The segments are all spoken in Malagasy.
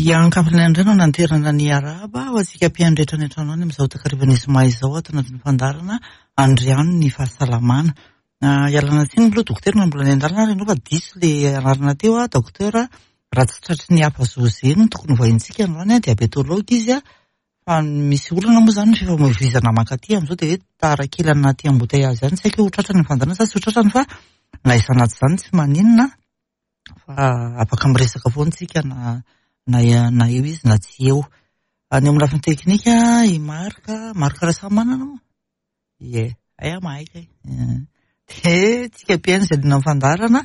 Hiankafana indray no nanterana ny arahaba ho antsika mpihaino rehetra any an-trano any amin'izao takarivan'ny zoma izao ato anatin'ny fandaharana Andriano ny fahasalamana. Ialana tsiny aloha dokotera na mbola any an-dalana ary ianao fa diso le anarana teo a, docteur raha tsy tratry ny hafa José no tokony ho vahintsika androany a, diabétologue izy a, fa misy olana moa izany ny fifamoivoizana mankaty amin'izao dia hoe tara kely anaty embouteillage izany, tsy haiko hoe ho tratrany ny fandaharana sa tsy ho tratrany fa na izany na tsy izany tsy maninona. fa afaka miresaka foana tsika na na na eo izy na tsy eo. Any amin'ny lafiny teknika i Marc, Marc Rasamanana moa? Ie, hay aho mahay kay. Dia tsika mpihaino izay liana amin'ny fandaharana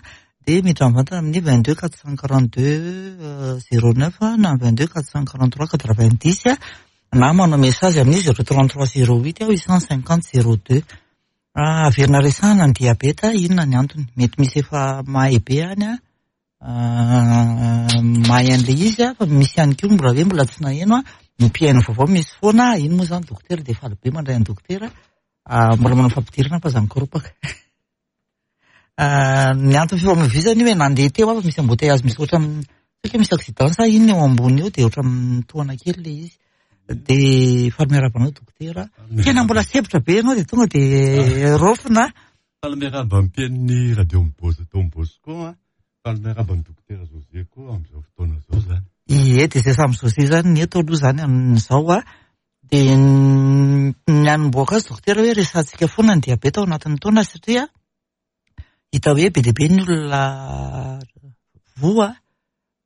dia miditra mivantana amin'ny 22 442 09 na 22 443 90 na manao message amin'ny 033 08 850 02. Averina resahana ny diabeta, inona ny antony? Mety misy efa mahay be any an, mahay an'ilay izy an, fa misy ihany koa mbola hoe mbola tsy naheno an, ny mpihaino vaovao misy foana, iny moa izany dokotera dia faly be mandray an'i dokotera, mbola manao fampidirana fa aza mikoropaka. Ny antony fifamoivoizana io hoe nandeha teo aho fa misy embouteillage misy ohatran'ny tsy haiko hoe misy accident sa inona eo ambony eo dia ohatran'ny mitohana kely ilay izy. Dia faly miarahaba anao dokotera. Tena mbola sempotra be ianao dia tonga dia raofina. Faly miarahaba ny mpihaino ny radio Mibozo Don Bosco an. Faly miarahaba ny dokotera José koa amin'izao fotoana izao izany. Ie, dia izay samy José izany ny eto aloha izany amin'izao an. Dia ny hanombohako azy dokotera hoe resahantsika foana ny diabeta ao anatin'ny taona satria hita hoe be dia be ny olona voa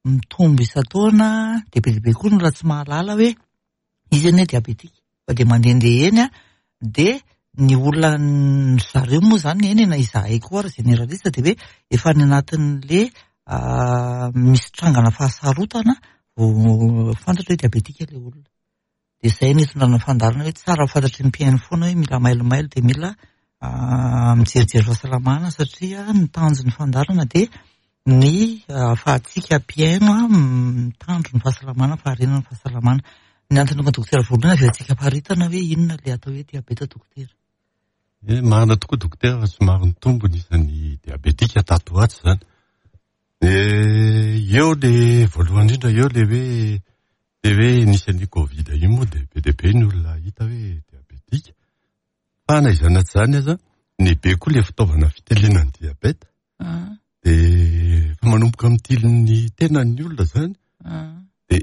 mitombo isan-taona dia be dia be koa ny olona tsy mahalala hoe izy anie diabetika fa dia mandehandeha eny dia ny olona ry zareo moa izany eny e na izahay koa ary généraliste dia hoe efa any anatin'le misy trangana fahasarotana vao fantatra hoe diabetika ilay olona. Dia izay no itondrana fandaharana hoe tsara ho fantatry ny mpihaino foana hoe mila mailomailo dia mila mijerijery fahasalamana satria ny tanjon'ny fandaharana dia ny ahafahantsika mpihaino mitandro ny fahasalamana, faharenana ny fahasalamana. Ny antony tonga dokotera voalohany avy eo antsika faritana hoe inona ilay atao hoe diabeta dokotera. Eh, marina tokoa dokotera fa somary nitombo ny isan'ny diabetika tato ho ato izany. Eh, eo le voalohany indrindra eo le hoe Dia hoe nisy an'io covid io moa dia be dia be ny olona hita hoe diabetika. Fa na izany na tsy izany aza, nibe koa ilay fitaovana fitiliana ny diabeta. Dia efa manomboka mitily ny tenan'ny olona izany. Dia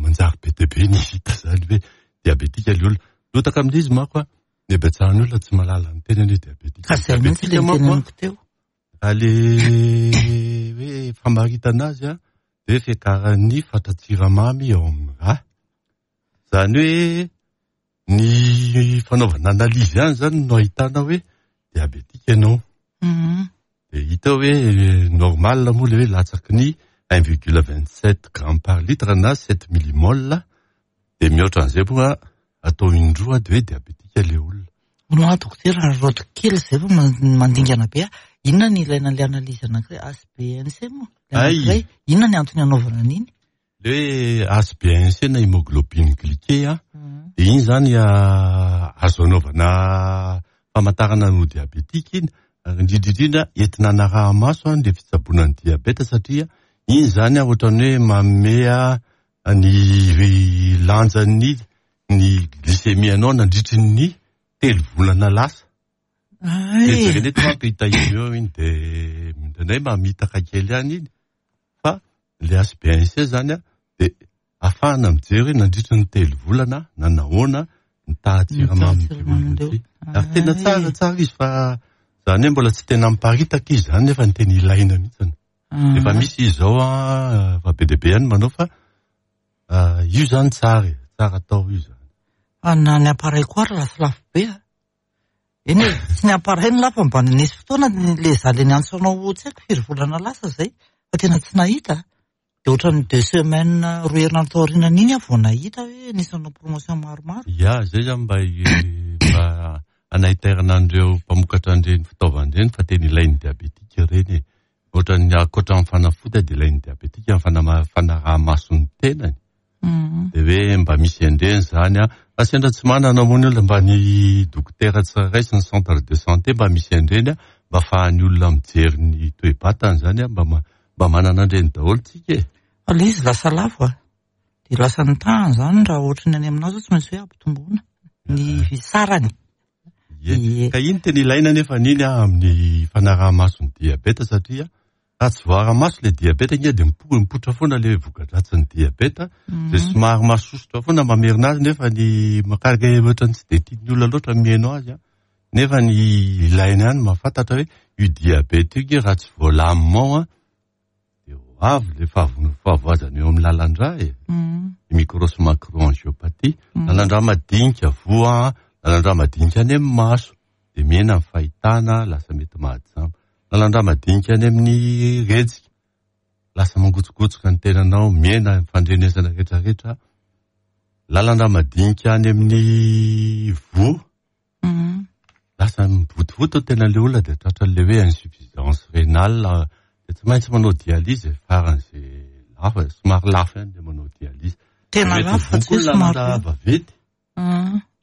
manjary be dia be ny hita izany hoe diabetika ilay olona. Lotaka amin'izy izy manko an, ny habetsahan'ny olona tsy mahalala ny tenany hoe diabetika. Ka izay mihitsy ilay niteneniko teo. Raha ilay hoe famaritana azy an, dia hoe fiakaran'ny fatran-tsiramamy ao amin'ny rà. Izany hoe ny fanaovana analyse ihany izany no ahitana hoe diabetika ianao. Dia hita hoe normal moa ilay hoe latsaky ny 1,27 gramme par litre na 7 millimole dia mihoatra an'izay moa atao indroa dia hoe diabetika ilay olona. Hono aho dokotera, araraoty kely izay fa mandingana be aho. Inona ny ilaina an'ilay analyse anankiray HbA1c moa? Ilay anankiray, inona ny antony anaovana an'iny? Ilay hoe HbA1c na hémoglobine glyquée an, dia iny izany azo anaovana famantarana ny ho diabetika iny, ary indrindra indrindra entina anaraha-maso ilay fitsaboana ny diabeta satria iny izany ohatran'ny hoe manome ny lanjan'ny ny glycémie anao nandritry ny telo volana lasa. Dia jerena eto manko hita eo iny dia indraindray mamitaka kely ihany iny fa ilay HbA1c zany an dia ahafahana mijery hoe nandritry ny telo volana nanahoana ny tahan-tsiramamy ity. Ary tena tsara tsara izy fa zany hoe mbola tsy tena miparitaka izy zany nefa ny tena ilaina mihitsy. Efa misy izy izao an, fa be dia be ihany manao fa io zany tsara e, tsara atao io zany. Fa na ny appareil koa ary lasa lafo be a. Eny e, tsy ny appareil no lafo fa mba nisy fotoana le za le niantso anao tsy haiko firy volana lasa zay fa tena tsy nahita. Dia ohatran'ny deux semaines roa herinandro taorianan'iny aho vao nahita hoe nisy nanao promotion maromaro. Ya, zay zany mba mba hanaitairana an'ireo mpamokatra an'ireny fitaovana ireny fa tena ilain'ny diabetika ireny e. Ohatran'ny ankoatra ny fanafody dia ilain'ny diabetika ny fanaraha-maso ny tenany. Dia hoe mba misy an'ireny izany an. Fa sendra tsy manana moa ny olona mba ny dokotera tsirairay sy ny centre de santé mba misy an'ireny an, mba ahafahan'ny olona mijery ny toe-batany izany an, mba mba manana an'ireny daholo tsika e. Fa ilay izy lasa lafo a. Dia lasa ny tahany izany raha ohatry ny any aminao izao tsy maintsy hoe ampitomboina ny sarany. Ie. Ka iny tena ilaina anefa iny amin'ny fanaraha-maso ny diabeta satria raha tsy voara-maso ilay diabeta ange dia mipoitra foana ilay voka-dratsin'ny diabeta, dia somary mahasosotra foana mamerina azy nefa ny makaraka ohatran'ny tsy dia tian'ny olona loatra ny mihaino azy an. Nefa ny ilaina ihany mahafantatra hoe io diabeta io ange raha tsy voalamina ao an, dia ho avy ilay fahavoazana eo amin'ny lalan-drà e. Ny micro sy macro-angiopathie. Lalan-drà madinika voa an, lalan-drà madinika any amin'ny maso, dia mihena ny fahitana, lasa mety mahajamba. Lalan-drà madinika any amin'ny rejika, lasa mangotsokotsoka ny tenanao, mihena ny fandrenesana rehetrarehetra. Lalan-drà madinika any amin'ny voa, lasa mivotovoto ny tenan'ilay olona dia tratran'ilay hoe insuffisance rénale, dia tsy maintsy manao dialyse e, faran'izay lafo e, somary lafo ihany ilay manao dialyse. Tena Mety lafo fa tsy voa koa hoe somary lalan-drà lafo. vaventy.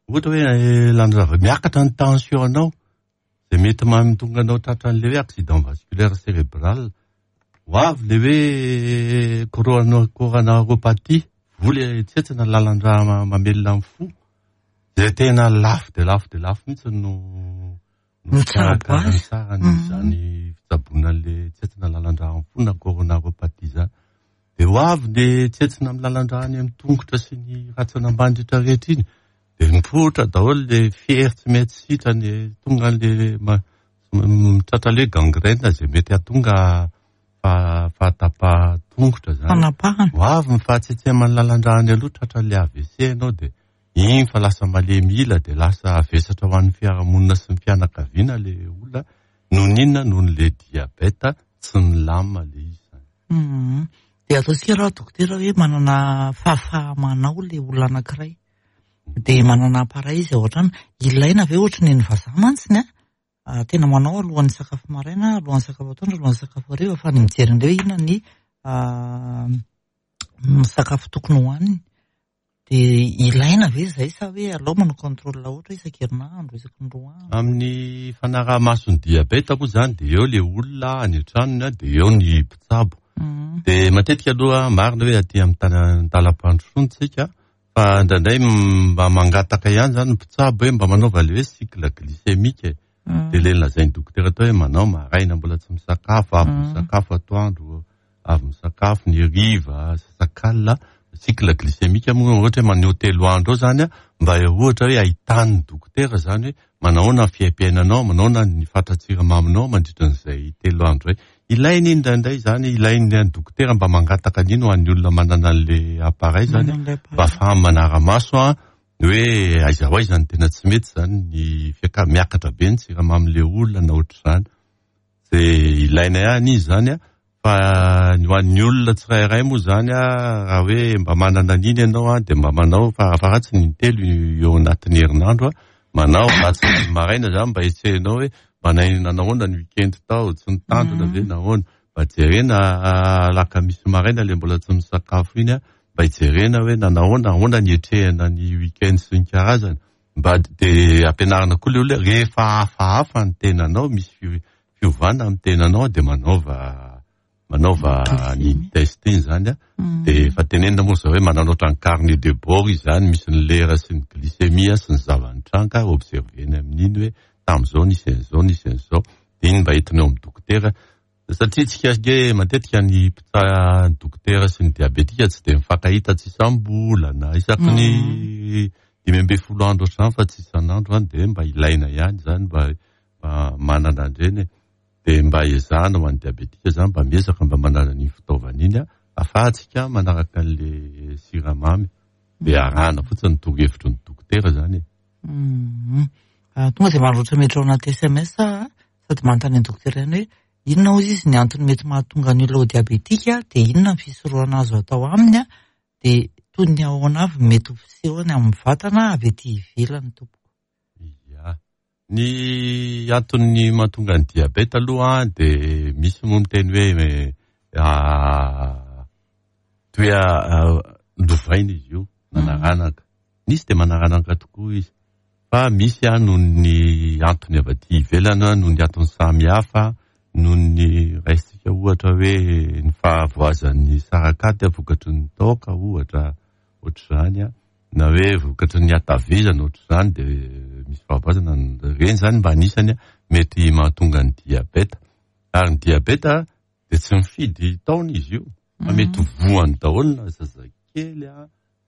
Ohatra hoe lalan-drà miakatra ny tension anao, izay mety mahatonga anao tratran'ilay hoe accident vasculaire cérébral. Ho avy ilay hoe coronaropathie, voa ilay tsentsina lalan-drà mamelona ny fo. Izay tena lafo dia lafo dia lafo mihitsy no no Mitsabo azy. fikarakara izany fitsaboana an'ilay tsentsina lalan-drà amin'ny fo na coronaropathie izany. Dia ho avy ilay tsentsina amin'ny lalan-drà any amin'ny tongotra sy ny rantsana ambany rehetra rehetra iny. Dia mipoitra daholo ilay fery tsy mety sitrany, tonga an'ilay mitratra ilay gangrène izay mety hahatonga fahatapahan-tongotra izany. Fanapahana. Ho avy ny fahatsetseman'ny lalan-drà any aloha tratran'ilay AVC ianao dia iny fa lasa malemy ila dia lasa vesatra ho an'ny fiarahamonina sy ny fianakaviana ilay olona noho ny inona? Noho ny ilay diabeta tsy milamina ilay izy izany. Dia ataontsika raha dokotera hoe manana fahafaha-manao ilay olona anankiray dia manana appareil izy ao an-trano, ilaina ve ohatry ny an'ny vazaha mantsy ny a? Tena manao alohan'ny sakafo maraina, alohan'ny sakafo atoandro, alohan'ny sakafo hariva fa ny mijery an'ireo hoe inona ny sakafo tokony hohaniny. Dia ilaina ve izay sa hoe alao manao contrôle ohatra isan-kerinandro, isaky ny 2 andro? Amin'ny fanaraha-maso ny diabeta moa izany dia eo ilay olona any an-tranony dia eo ny mpitsabo. Dia matetika aloha marina hoe aty amin'ny talam-pandrosoana tsika fa indraindray mba mangataka ihany izany ny mpitsabo hoe mba manaova ilay hoe cycle glycémique e. Dia ilay nolazain'ny dokotera teo hoe manao maraina mbola tsy misakafo, avy misakafo atoandro, avy misakafo ny hariva, sasakalina. Cycle glycémique moa ohatra hoe maneho 3 andro eo izany, mba ohatra hoe ahitan'ny dokotera izany hoe manahoana ny fiaimpiainanao, manahoana ny fatran-tsiramaminao mandritra an'izay 3 andro izay. Ilaina iny indraindray izany, ilain'ny dokotera mba mangataka an'iny ho an'ny olona manana an'ilay appareil izany, mba ahafahany manara-maso an, ny hoe aiza ho aiza ny tena tsy mety izany, ny miakatra be ny siramamin'ilay olona na ohatr'izany. Dia ilaina ihany izy izany an, fa ny ho an'ny olona tsirairay moa izany an, raha hoe mba manana an'iny ianao an, dia mba manao farafaharatsiny intelo eo anatin'ny herinandro an, manao alatsinainy maraina izany mba hetsehinao hoe mba nanahoana ny week-end tao, tsy nitandrina ve nahoana, mba jerena alakamisy maraina ilay mbola tsy misakafo iny an, mba hijerena hoe nanahoana, ahoana ny hetrehana ny week-end sy ny karazany. Mba dia ampianarina koa ilay olona hoe rehefa hafahafa ny tenanao, misy fiovana amin'ny tenanao dia manaova manaova an'iny test iny izany an. Dia efa tenenina moa izao hoe manana ohatran'ny carnet de bord izy izany, misy ny lera sy ny glycémie sy ny zava-nitranga, observer-ny amin'iny hoe tamin'izao nisy an'izao, nisy an'izao. Dia iny mba entina eo amin'ny dokotera. Satria tsika ange matetika ny mpitsa-, dokotera sy ny diabetika tsy dia mifankahita tsy isam-bolana, isaky ny 15 andro ohatr'izany fa tsy isan'andro an, dia mba ilaina ihany izany mba manana an'ireny e. Dia mba ezahana ho an'ny diabetika izany mba miezaka mba manana an'iny fitaovana iny an, ahafahantsika manaraka an'ilay siramamy. Dia arahana fotsiny ny torohevitry ny dokotera izany e. Tonga dia manoratra miditra ao anaty SMS aho, sady manontany an'i dokotera ihany hoe inona hozy izy ny antony mety mahatonga ny olona ho diabetika, dia inona ny fisorohana azo atao aminy, dia toy ny ahoana avy mety ho fisehony amin'ny vatana avy ety ivelany tompoko. Ia. Ny antony mahatonga ny diabeta aloha dia misy moa miteny hoe toy hoe lovaina izy io, manaranaka. Misy dia manaranaka tokoa izy. Fa misy noho ny antony avy aty ivelany, noho ny antony samihafa. noho ny raisintsika ohatra hoe ny fahavoazan'ny sarakaty vokatry ny taoka ohatra ohatr'izany an, na hoe vokatry ny hatavezana ohatr'izany dia misy fahavoazana, ireny izany mba anisany mety mahatonga ny diabeta. Ary ny diabeta dia tsy mifidy taona izy io fa mety voany daholo na zazakely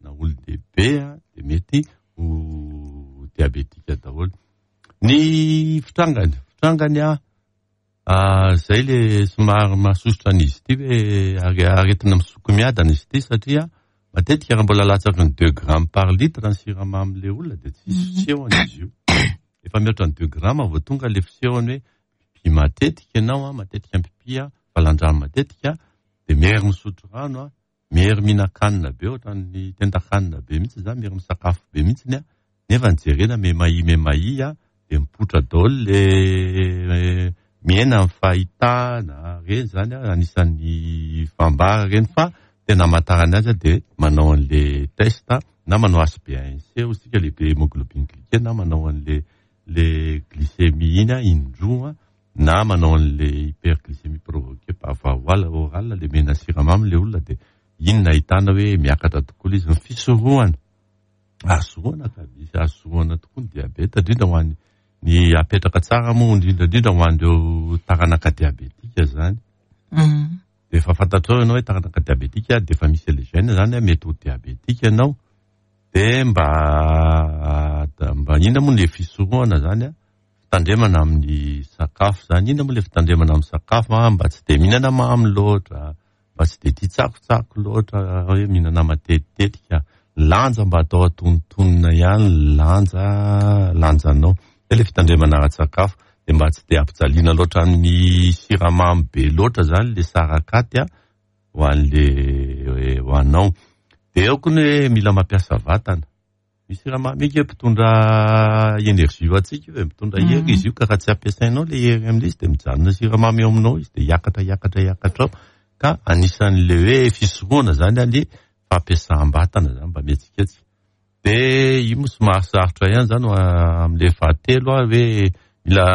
na olon-dehibe dia mety ho diabetika daholo. Ny fitrangany, fitrangany izay le somary mahasosotra an'izy ity hoe aretina misoko miadana izy ity satria matetika raha mbola latsaky ny deux grammes par litre ny siramamy le olona dia tsisy fisehony izy io. Efa mihoatra ny deux grammes vao tonga le fisehony hoe mipipi matetika ianao, matetika mipipi, valan-drano matetika, dia mery misotro rano, mery mihinan-kanina be ohatran'ny tendan-kanina be mihitsy izany, mery misakafo be mihitsy nefa ny jerena memahi memahi dia mipoitra daholo le mihena ny fahitana, ireny izany anisan'ny fambara ireny fa tena hamantarana azy dia manao an'le test na manao HbA1c hoy isika le hémoglobine glyquée na manao an'le le glycémie iny indroa na manao an'le hyperglycémie provoquée par voie orale le mena siramamy le olona dia iny no ahitana hoe miakatra tokoa le izy. Ny fisorohana, azo sorohana ka, misy azo sorohana tokoa ny diabeta indrindra ho an'ny ny apetraka tsara moa indrindra indrindra ho an'ireo taranaka diabetika zany. Dia efa fantatrao ianao hoe taranaka diabetika dia efa misy le gène zany mety ho diabetika ianao. Dia mba mba inona moa le fisorohana zany an? Fitandremana amin'ny sakafo zany. Inona moa le fitandremana amin'ny sakafo an? Mba tsy dia mihinana mamy loatra, mba tsy dia tia tsakotsako loatra hoe mihinana matetitetika. Lanja mba atao antonontonona ihany ny lanja lanjanao. Zay le fitandremana ara-tsakafo. Dia mba tsy dia ampijaliana loatra amin'ny siramamy be loatra zany le sarakaty an. ho an'le ho anao. Dia eo koa ny hoe mila mampiasa vatana. Misy siramamy io mpitondra énergie ho antsika io e, mitondra hery izy io ka raha tsy ampiasainao le hery amin'ilay izy dia mijanona siramamy eo aminao izy dia hiakatra hiakatra hiakatra ao. Ka anisan'le hoe fisorohana zany le fampiasam-batana zany mba mihetsiketsika. Dia io moa somary sarotra ihany zany amin'ilay fahatelo hoe mila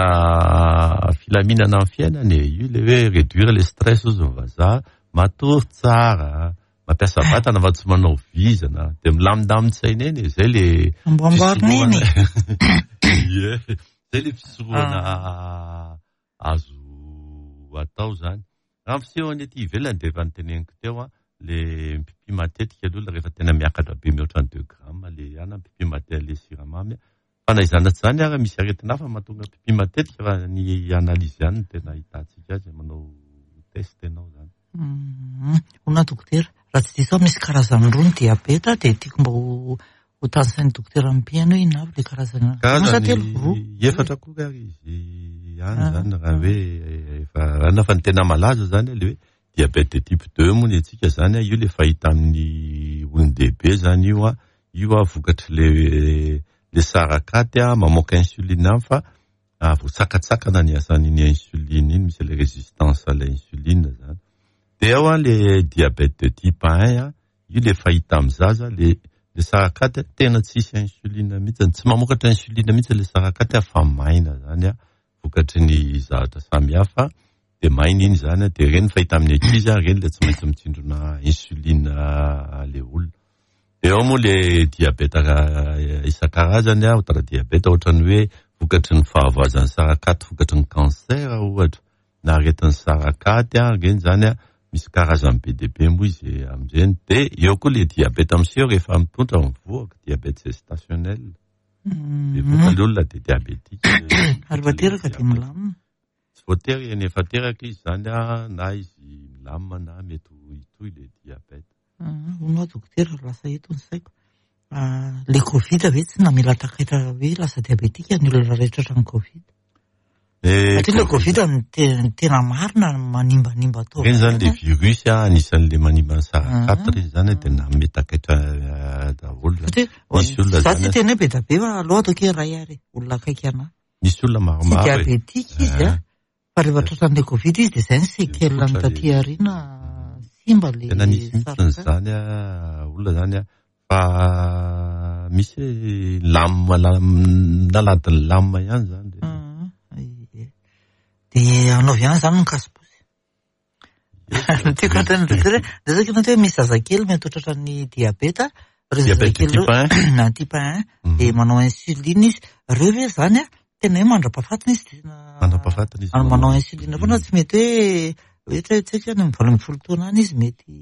filaminana amin'ny fiainana e. Io ilay hoe réduire le stress hozy ny vazaha, matory tsara, mampiasa vatana fa tsy manao vizana, dia milamindamin-tsaina eny e, zay le Amboamboarina eny e. Ie, zay le fisorohana azo atao zany. Raha ny fisehony ety ivelany dia efa noteneniko teo an, le mipipi matetika aloha rehefa tena miakatra be mihoatra ny deux grammes le ihany mipipi matetika le siramamy an. Fa na izany na tsy izany ary misy aretina hafa mahatonga pipi matetika fa ny analyse ihany no tena ahitantsika azy, manao test ianao zany. Hono dokotera, raha tsy diso aho misy karazany roa ny diabeta dia tiako mba ho ho tanisain'ny dokotera mpihaino hoe inona avy ilay karazana karazany roa efatra akory ary izy ihany zany raha hoe efa raha fa ny tena malaza zany le hoe diabète de type 2 moa ny antsika zany io le fahita amin'ny olon-dehibe zany io a io a vokatry le le sarakaty a mamoaka insuline any fa voasakatsakana ny asan'iny insuline iny misy le résistance à l'insuline zany de ao a le diabète de type 1 a io le fahita amin'ny zaza le le sarakaty tena tsisy insuline mihitsy, tsy mamokatra insuline mihitsy le sarakaty fa maina zany a vokatry ny zavatra samihafa dia maina iny zany dia ireny fahita amin'ny ankizy ireny le tsy maintsy mitsindrona insuline le olona. Dia ao moa le diabeta isan-karazany ohatra diabeta ohatran'ny hoe vokatry ny fahavoazan'ny sarakaty vokatry ny cancer ohatra na aretin'ny sarakaty ireny zany misy karazany be dia be moa izy amin'ireny. Dia eo koa le diabeta miseho rehefa mitondra mivoaka, diabète gestationnel. Dia le olona dia diabetika. Ary efa teraka dia milamina. Tsy voatery eny efa teraka izy zany na izy milamina na mety ho hitohy le diabète. Hono aho dokotera lasa eto ny saiko. Le Covid ve tsy namela takaitra hoe lasa diabetika ny olona rehetra hatramin'ny Covid? Satria le Covid ny tena marina manimbanimba taova. Ireny zany le virus anisan'le manimba ny sarakaty ireny zany dia nanome takaitra daholo. Satria za tsy hiteny hoe be dia be fa aleo ataoko hoe iray ary olona akaiky anahy. Nisy olona maromaro. Tsy diabetika izy a. Fa rehefa tratran'ilay Covid izy dia izay ny séquelle-ny taty aoriana simba le Tena nisy mihitsy izany olona izany fa misy lame naladin'ny lame ihany izany. Ie. Dia anaovy ihany izany ny kasiposy. Ny tiako hatao ny dokotera, dia zao hoe misy zazakely mety ho tratran'ny diabeta, ireo zazakely ireo na type 1 dia manao insuline izy. Ireo ve izany an, tena hoe mandra-pahafatiny izy tena mandra-pahafatiny izy manao insuline foana tsy mety hoe ohatra hoe tsy haiko any amin'ny 18 taona any izy mety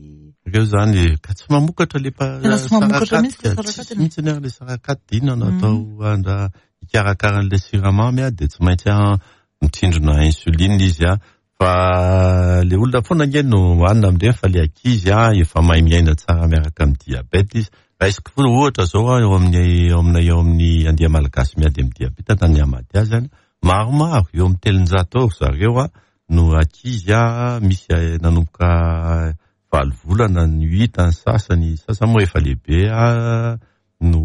Ireo izany ka tsy mamokatra le Tena tsy mamokatra mihitsy le sarakaty. Mihitsy ny ary le sarakaty inona no atao andra hikarakara an'ilay siramamy dia tsy maintsy mitsindrona insuline izy a. Fa le olona foana ange no hanina amin'ireny fa le ankizy a efa mahay miaina tsara miaraka amin'ny diabète izy. Raisiko foana ohatra zao a eo amin'ny eo aminay eo amin'ny andia malagasy miady amin'ny diabeta na ny Amadia zany maromaro eo amin'ny 300 eo ry zareo a no ankizy a misy nanomboka 8 volana ny hita ny sasany, sasany moa efa lehibe a no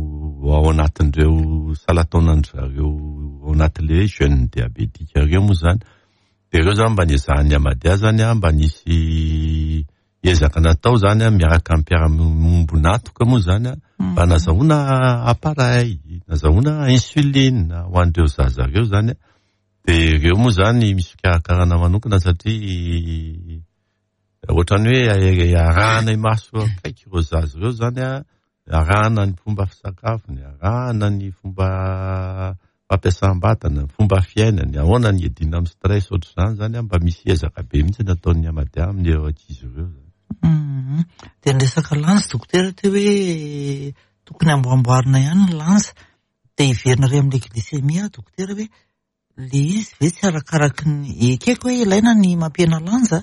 ao anatin'ireo salan-taonan-dry zareo ao anatin'ilay hoe jeune diabétique ireo moa izany. Dia ireo izany mba niezahan'ny Amadia izany an, mba nisy ezaka natao izany an, miaraka amin'ny mpiara-miombon'antoka moa izany an, mba nazahoana appareil, nazahoana insuline ho an'ireo zaza ireo izany an. Dia ireo moa izany misy fikarakarana manokana satria ohatran'ny hoe arahana imaso akaiky ireo zaza ireo izany an, arahana ny fomba fisakafony, arahana ny fomba fampiasam-batana, ny fomba fiainany, ahoana ny hiadiana amin'ny stress ohatr'izany izany an, mba misy ezaka be mihitsy nataon'ny Amadia amin'ireo ankizy ireo izany. Dia ny resaka lanja dokotera teo hoe tokony amboamboarina ihany ny lanja, dia hiverina ary amin'ilay glycémie aho dokotera hoe le izy ve tsy arakaraky ny, ekeko hoe ilaina ny mampihena lanja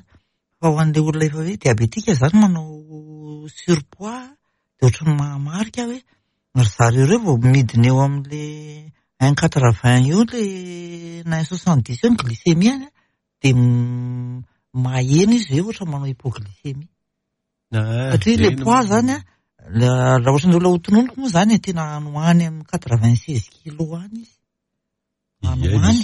fa ho an'ilay olona efa hoe diabetika izany manao surpoids dia ohatran'ny mahamarika hoe ry zareo ireo vao midina eo amin'le 1,80 eo le na 1,70 eo ny glycémie-ny dia maheno izy hoe ohatra manao hypoglycémie. Satria le poids zany an, raha ohatran'ny olona hotononiko moa izany tena any ho any amin'ny 96 kilos any izy. Any ho any.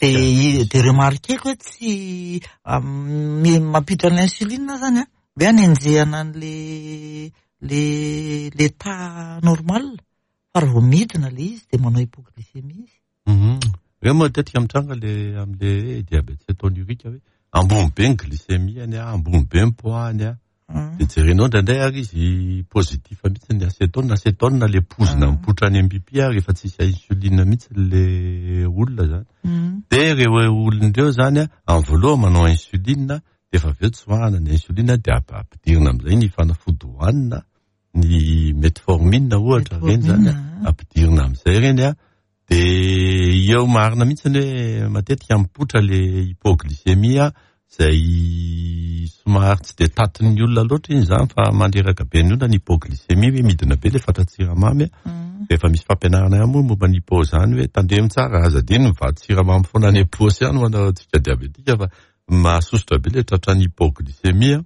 Dia dia remarqueko hoe tsy mampiditra ny insuline zany an, hoe anenjehana an'le le l'état normal fa raha vao midina le izy dia manao hypoglycémie izy. Ireo matetika mitranga le amin'le hoe diabète cétonurique hoe ambony be ny glycémie-ny, ambony be ny poids-ny. Dia jerenao indraindray ary izy positif mihitsy ny acétone. Acétone le pozina mipoitra any amin'ny pipi ary efa tsisy insuline mihitsy le olona zany. Dia ireo olona ireo zany amin'ny voalohany manao insuline dia efa avy eo tsoahana ny insuline dia ampidirina amin'izay ny fanafody hohanina, ny metformine ohatra ireny zany ampidirina amin'izay ireny an. Dia eo marina mihitsy ny hoe matetika mipoitra le hypoglycémie izay somary tsy dia tatin'ny olona loatra iny izany fa mandreraka be ny olona ny hypoglycémie hoe midina be le fatran-tsiramamy. Rehefa misy fampianarana ihany moa momba ny hypo izany hoe tandremo tsara aza adino mivatsy siramamy foana any am-paosy ihany ho antsika diabetika fa mahasosotra be le tratran'ny hypoglycémie.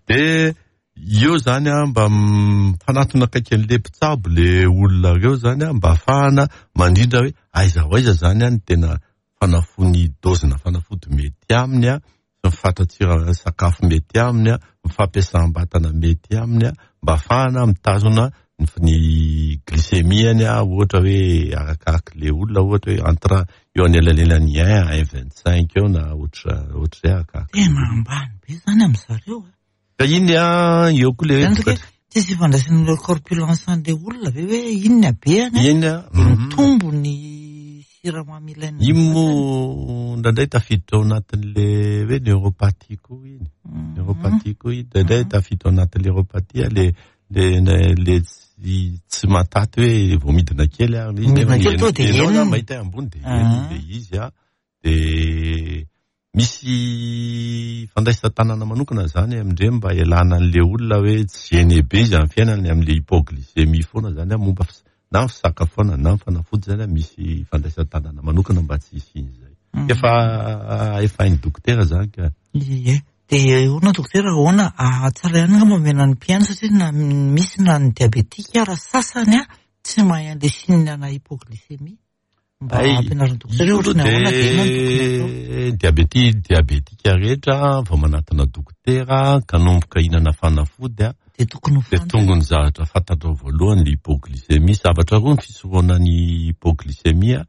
Dia eo izany an, mba mifanatona akaiky an'ilay mpitsabo le olona ireo izany an, mba ahafahana mandrindra hoe aiza ho aiza izany an ny tena fanafody, dozina fanafody mety aminy an, sy ny fatran-tsira sakafo mety aminy an, ny fampiasam-batana mety aminy an, mba ahafahana mitazona ny glycémie-ny an, ohatra hoe arakarak'ilay olona ohatra hoe entre eo anelanelan'ny 1 à 1,25 eo na ohatra ohatr'izay arakarak'ilay Tena ambany be izany amin-dry zareo a. Ka iny an, eo koa le hoe vokatra. Tsisy ifandraisan'ilay corpulence an'ilay olona ve hoe iny ny habehany an, Iny an, dia mitombo ny siramamy ilaina. Iny moa indraindray tafiditra ao anatin'le hoe neuropathie koa iny. Neuropathie koa iny, indraindray tafiditra ao anatin'le neuropathie le le le tsy tsy mahataty hoe vao midina kely ary izy Midina kely tonga dia ianao henony. zany mahita hoe ambony dia henony dia izy an, dia misy fandraisan-tanana manokana zany amindreny mba hialana an'le olona hoe tsy gêné be izy amin'ny fiainany amin'le hypoglycémie foana zany an, momba na ny fisakafoanana na ny fanafody zany an, misy fandraisan-tanana manokana mba tsy hisian'izay. Efa efa hain'ny dokotera zany ka. Ie. Dia ahoana dokotera, ahoana tsara ihany angamba omena ny mpihaino satria na misy na ny diabetika ara sasany an tsy mahay an'ilay signe ana hypoglycémie. Mba ampianarin'ny dokotera hoe ohatran'ny ahoana dia inona no tokony atao. Diabeti diabetika rehetra vao manatona dokotera ka nomboka hihinana fanafody an, Dia tokony ho dia fantany. tonga ny zavatra fantatrao voalohany ny hypoglycémie. Zavatra roa ny fisorohana ny hypoglycémie.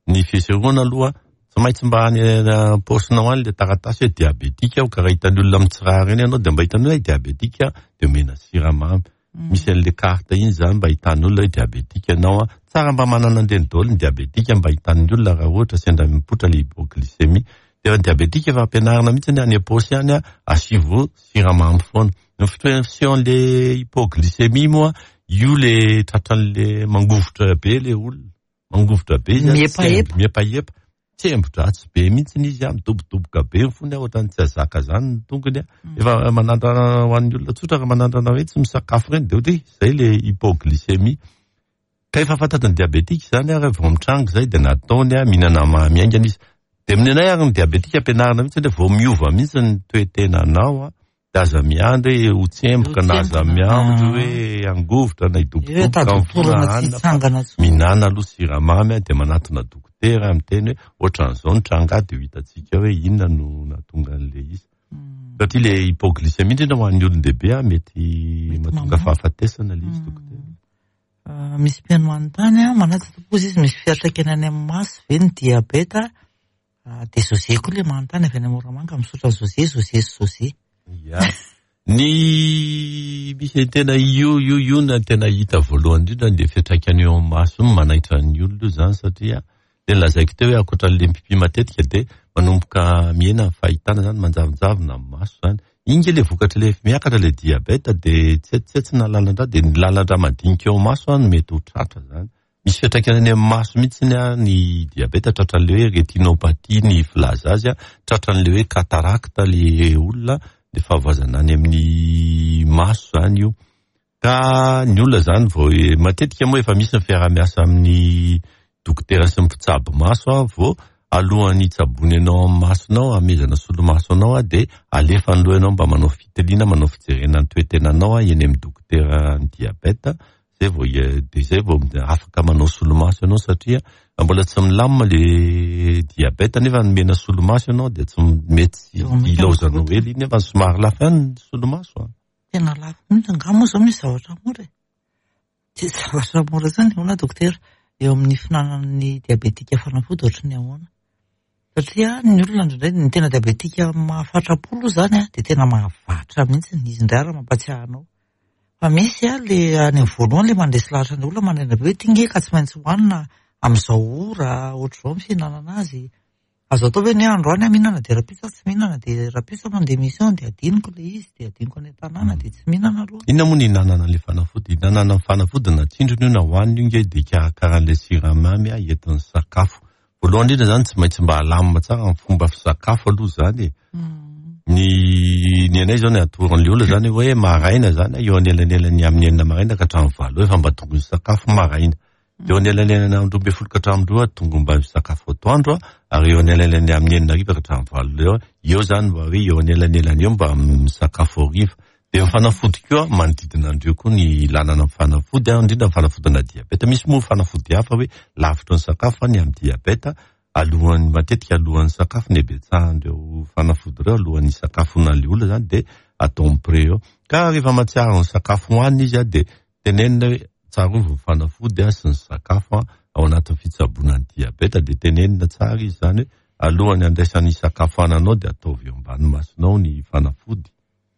Ny fisorohana aloha. Tsy maintsy mba any am-paosinao any ilay taratasy hoe diabetika aho ka raha hitan'ny olona mitsirara eny ianao dia mba hitan'ny hoe diabetika dia omena siramamy. Misy an'ilay carte iny izany mba hitan'ny olona hoe diabetika ianao an. Tsara mba manana an'ireny daholo ny diabetika mba hitan'ny olona raha ohatra sendra mipoitra ilay hypoglycémie. Dia ny diabetika efa ampianarina mihitsy any am-paosy any an, asivo siramamy foana. Ny fisehon'ilay hypoglycémie moa io ilay tratran'ilay mangovitra be ilay olona. Mangovitra be izy, Miepaepa. miepaepa, tsembo-dratsy be mihitsy izy, midobodoboka be ny fony, ohatran'ny tsy azaka zany ny tongony. Efa manandrana ho an'ny olona tsotra, raha manandrana hoe tsy misakafo ireny dia ohatra hoe izay le hypoglycémie. Ka efa fantatry ny diabetika izany ary vao mitranga izay dia nataony mihinana mamy haingana izy. Dia amin'ny anay ary ny diabetika ampianarina mihitsy hoe vao miova mihitsy ny toe-tenanao dia aza miandry hoe ho tsemboka na aza miandry hoe hangovitra na hidobodoboka amin'ny fona hanina fa mihinana aloha siramamy dia manatona dokotera miteny hoe ohatran'izao ny tranga dia ho hitantsika hoe inona no nahatonga an'ilay izy. Satria ilay hypoglycémie indrindra ho an'ny olon-dehibe mety mahatonga fahafatesana ilay izy dokotera. Misy mpihaino manontany, manaja tompoko izy, misy fiantraikany any amin'ny maso ve ny diabeta? Dia José koa ilay manontany avy any Moramanga, misaotra José, José sy José. Ya. Ny misy tena io io io no tena hita voalohany indrindra ny fiantraikany eo amin'ny maso io manaitra ny olona io zany satria le lazaiko teo hoe ankoatra an'le mipipi matetika dia manomboka mihena ny fahitana zany, manjavonjavona ny maso zany. Iny nge le vokatry le miakatra le diabeta dia tsetsitsetsina lalan-drà dia ny lalan-drà madinika eo amin'ny maso no mety ho tratra zany. Misy fiantraikany any amin'ny maso mihitsy ny diabeta, tratran'ilay hoe rétinopathie ny filaza azy, tratran'ilay hoe cataracte ilay olona, ilay fahavoazana any amin'ny maso izany io. Ka ny olona izany vao matetika moa efa misy ny fiaraha-miasa amin'ny dokotera sy ny mpitsabo maso vao alohan'ny hitsaboany anao amin'ny masonao, hamehezana solomaso anao dia alefa aloha ianao mba manao fitiliana, manao fijerena ny toe-tenanao eny amin'ny dokotera ny diabeta. Zay vao dia zay vao afaka manao solomaso ianao satria raha mbola tsy milamina le diabeta nefa nomena solomaso ianao dia tsy mety ilaozanao ela iny nefa somary lafo ihany ny solomaso an. Tena lafo mihitsy angaha moa izao misy zavatra mora e? Tsy zavatra mora izany ahoana dokotera eo amin'ny fihinanan'ny diabetika fanafody ohatry ny ahoana? Satria ny olona indraindray ny tena diabetika mahafatra-po aloha izany an dia tena mahavatra mihitsy izy indray ary mampatsiahy anao. Fa misy a le any amin'ny voalohany le mandresy lahatra ny olona maraina be hoe ty nge ka tsy maintsy hohanina amin'izao ora ohatr'izao ny fihinanana azy. Azo atao ve ny hoe androany aho mihinana dia rahampitso aho tsy mihinana dia rahampitso aho mandeha mission dia adinoko ilay izy dia adinoko any an-tanàna dia tsy mihinana aloha. Inona moa ny ihinanana ilay fanafody? Ihinanana ny fanafody na tsindrona io na hohanina io nge dia hikarakara an'ilay siramamy entin'ny sakafo. Voalohany indrindra zany tsy maintsy mba alamina tsara ny fomba fisakafo aloha zany e. Ny ny anay zao ny atoron'ny olona zany hoe maraina zany eo anelanelan'ny amin'ny enina maraina ka hatramin'ny valo eo efa mba tokony hisakafo maraina. Eo anelanelan'ny amin'ny 12 ka hatramin'ny roa tonga mba misakafo atoandro ary eo anelanelan'ny amin'ny enina hariva ka hatramin'ny valo eo eo zany mba hoe eo anelanelany eo mba misakafo hariva. Dia ny fanafody koa manodidina an'ireo koa ny lalana amin'ny fanafody, indrindra ny fanafodina diabeta. Misy moa fanafody hafa hoe lavitry ny sakafo fa ny amin'ny diabeta alohan'ny matetika alohan'ny sakafo ny habetsahan'ireo fanafody ireo alohan'ny hisakafoana an'ilay olona izany dia atao mi-pré eo. Ka rehefa mahatsiaro ny sakafo hohanina izy dia tenenina hoe tsarovy ny fanafody sy ny sakafo ao anatin'ny fitsaboana ny diabeta dia tenenina tsara izy izany hoe alohan'ny handraisany hisakafoananao dia ataovy eo ambany masonao ny fanafody.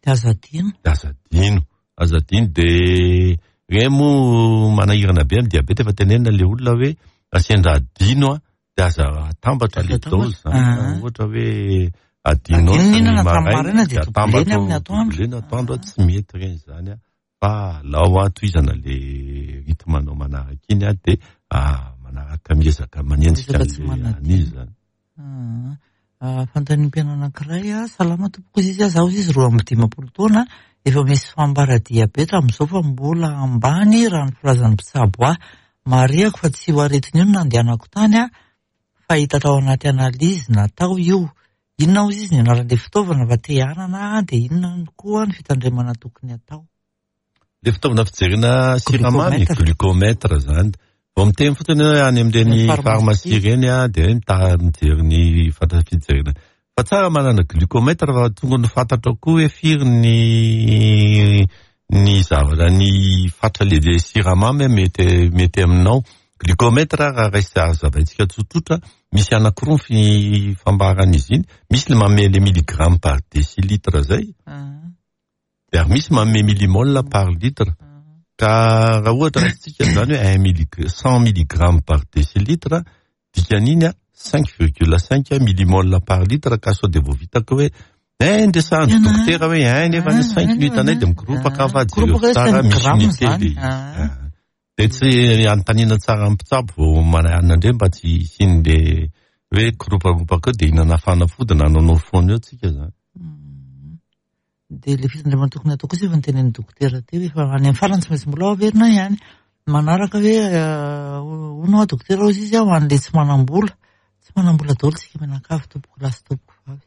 Dia aza adino. Dia aza adino. Aza adino dia ireny moa manahirana be amin'ny diabeta efa tenenina ilay olona hoe raha sendra adino a dia aza atambatra ilay dose zany. Ah. Ohatra hoe adinao Adino ny mihinana tamin'ny maraina maraina dia dia atambatra doubler-ny amin'ny atoandro. doubler-ny atoandro tsy mety ireny izany a. Fa alao a tohizana ilay rythme anao manaraka iny a dia manaraka miezaka manenjika Miezaka tsy an'ilay manadino. an'izy izany. Fanontaniam-piainana anankiray, salama tompoko izy, zaho izy 52 taona, efa misy fambara diabeta amin'izao fa mbola ambany raha ny filazan'ny mpitsabo ahy. Marihako fa tsy io aretina io no nandehanako tany fa hita tao anaty analyse natao io. Inona hozy izy ny anaran'ilay fitaovana fa te hanana dia inona koa ny fitandremana tokony atao? Le fitaovana fijerena siramamy, glucomètre zany. Vao miteny fotsiny hoe any amin'ireny pharmacie ireny dia hoe mijery ny fatra fijerena. Fa tsara manana glucomètre fa tokony fantatrao koa hoe firy ny ny zavatra ny fatra le siramamy mety mety aminao. Glucomètre raha raisy hazavaintsika tsotsotra, misy anankiroa ny fambaran'izy iny, misy le manome le milligramme par décilitre zay, de ary misy manome millimole par litre. Ka raha ohatra raisitsika zany hoe un millig 100 milligramme par décilitre, dikan'iny a 5,5 millimole par litre, ka sao de vao vitako hoe ein ndresahan'ny dokotera hoe ein nefa ny 5 no hitanay de mikoropaka fa jereo tsara misy unité le izy. De tsy anontaniana tsara amin'ny mpitsabo vao manana indray mba tsy hisian'le hoe koroparopaka eo de hihinana fanafody na hanaonao foana eo tsika zany. De le fitandremana tokony atao kosa efa notenenin'ny dokotera teo, efa any amin'ny farany tsy maintsy mbola ho averina ihany. Manaraka hoe hono aho dokotera hozy izy ho an'le tsy manam-bola. Tsy manam-bola daholo tsika mianakavy tompoko lahy sy tompoko vavy.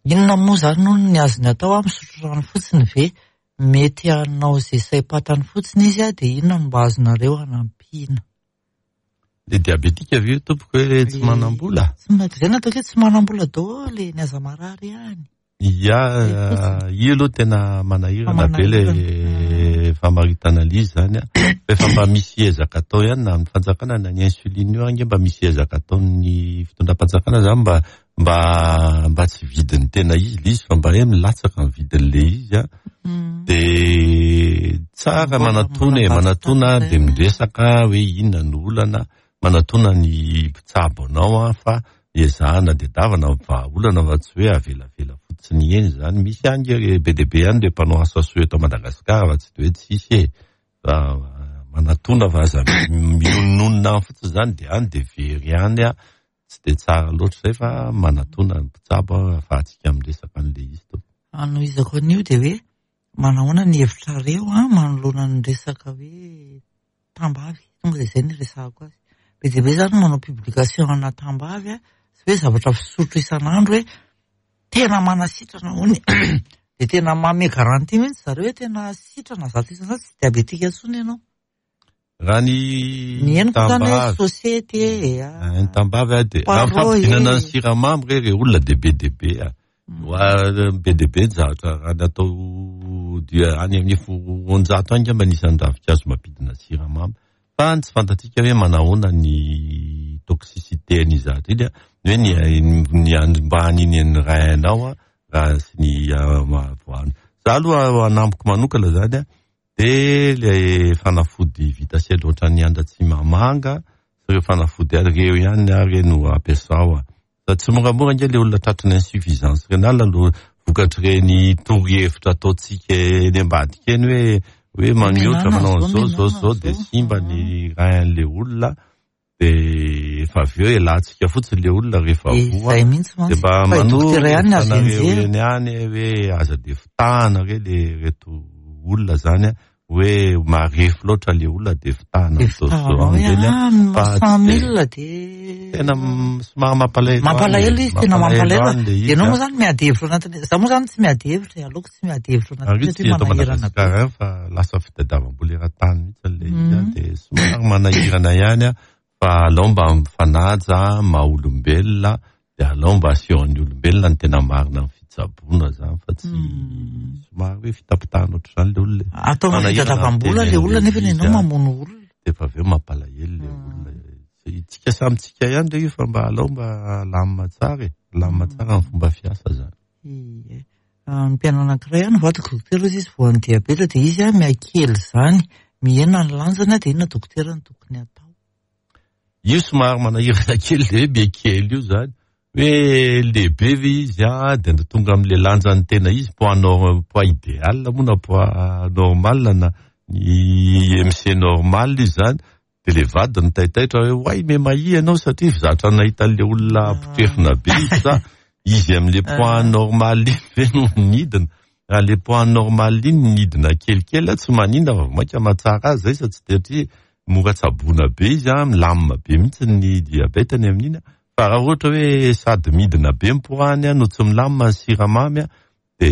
Inona moa zany hono ny azony atao a, misotro rano fotsiny ve? Mety hanao izay saim-patany fotsiny izy a, dia inona no mba azonareo hanampiana? Le diabetika ve io tompoko hoe tsy manam-bola? Tsy ma-, zay no ataoko hoe tsy manam-bola daholo e, ny aza marary ihany. Ya, io aloha tena manahirana be le famaritana ilay izy zany a. Efa mba misy ezaka atao ihany na amin'ny fanjakana na ny insuline io ange mba misy ezaka ataon'ny fitondram-panjakana zany mba mba mba tsy vidin'ny tena izy ilay izy fa mba hoe milatsaka ny vidin'ilay izy a. De tsara manatona e, manatona de miresaka hoe inona no olana, manatona ny mpitsabo anao a fa ezahana tadiavana ny vahaolana fa tsy hoe avelavela fotsiny eny zany. Misy any be dia be ihany ireo mpanao asa soa eto Madagasikara fa tsy de hoe tsisy e. Fa manatona fa aza miononona any fotsiny zany de any de very any a. Tsy de tsara loatra zay fa manatona ny mpitsabo ahafahantsika miresaka an'ilay izy tompoko. Anohizako an'io de hoe manahoana ny hevitrareo a manoloana ny resaka hoe tambavy, tonga de zay no iresahako azy. Be dia be zany manao publication ana tambavy a, sy hoe zavatra fisotro isan'andro hoe tena manasitrana hono de tena manome garantie mihitsy zareo hoe tena sitrana 100% tsy diabetika intsony ianao. Raha ny Ny henoko zany hoe société e, ny tambavy a de raha fampidinana ny siramamy re re olona de be dia be a. Be dia be ny zavatra raha ny atao dia any amin'ny 200 any angamba ny isan'ny ravinkazo mampidina siramamy. Fa ny tsy fantatsika hoe manahoana ny toxicité an'iny zavatra iny a, ny hoe ny ny andrombany iny rein-nao a raha sy ny voany. Za aloha anamboko manokana zany a, de le fanafody vita sely ohatran'ny andratsimamanga sy ireo fanafody ary ireo ihany ary no ampiasao a. Fa tsy moramora ange le olona tratry ny insuffisance rénale no vokatr'ireny torohevitra ataontsika eny ambadika eny hoe hoe maniotra manao an'izao zao zao de simba ny rein-'le olona de efa avy eo elantsika fotsiny le olona rehefa voa Izay mihitsy de mba mantsy. Fa i dokotera ihany no azo manoro enjehina. eny ihany hoe aza de fitahana re le reto olona zany a hoe marefo loatra le olona de fitahana De amin'izao fitahana zao hoe amin'ireny a ah, fa cent tsy de mille de tena somary mampalahelo mampalahelo any izy, tena mampalahelo mampalahelo. any le izy Ianao a. moa zany miady hevitra anatin'ny, za moa zany tsy miady hevitra e, aleoko tsy miady hevitra Ary anatin'ny io tsy satria eto manahirana be. Madagasikara ihany fa lasa fitadiavam-bola eran-tany mihitsy le izy a, de somary manahirana ihany a, fa alao mba mifanaja maha olombelona de alao mba asehon'ny olombelona ny tena marina amin'ny fitsaboana zany fa tsy somary hoe fitapitahana ohatr'izany le olona e. Atao Manahirana fitadiavam-bola le olona fitenenana nefa izy ianao a. mamono olona. De efa avy eo mampalahelo le olona. Tsika samy tsika ihany re io fa mba alao mba alamina tsara e, alamina tsara ny fomba fiasa zany. Ie. Ny mpianana anankiray ihany vadiko dokotera hozy izy voan'ny diabeta dia izy a mihakely izany, mihena ny lanjany dia inona dokotera no tokony atao? Io somary manahirana kely le hoe mihakely io zany, hoe lehibe ve izy a dia tonga amin'le lanjan'ny tena izy, poids nor- poids idéal moa na poids normal na ny IMC normal izy zany, de le vadiny taitaitra hoe oay me mahia ianao satria zatra nahita an'le olona mpitrefona be izy sa izy amin'le poids normal iny ve no nidina. Raha le poids normal iny nidina kelikely tsy maninona fa vao mainka mahatsara azy zay sa tsy satria mora tsaboina be izy a, milamina be mihitsy ny diabetany amin'iny a. Fa raha ohatra hoe sady midina be ny poids-ny no tsy milamina ny siramamy a, de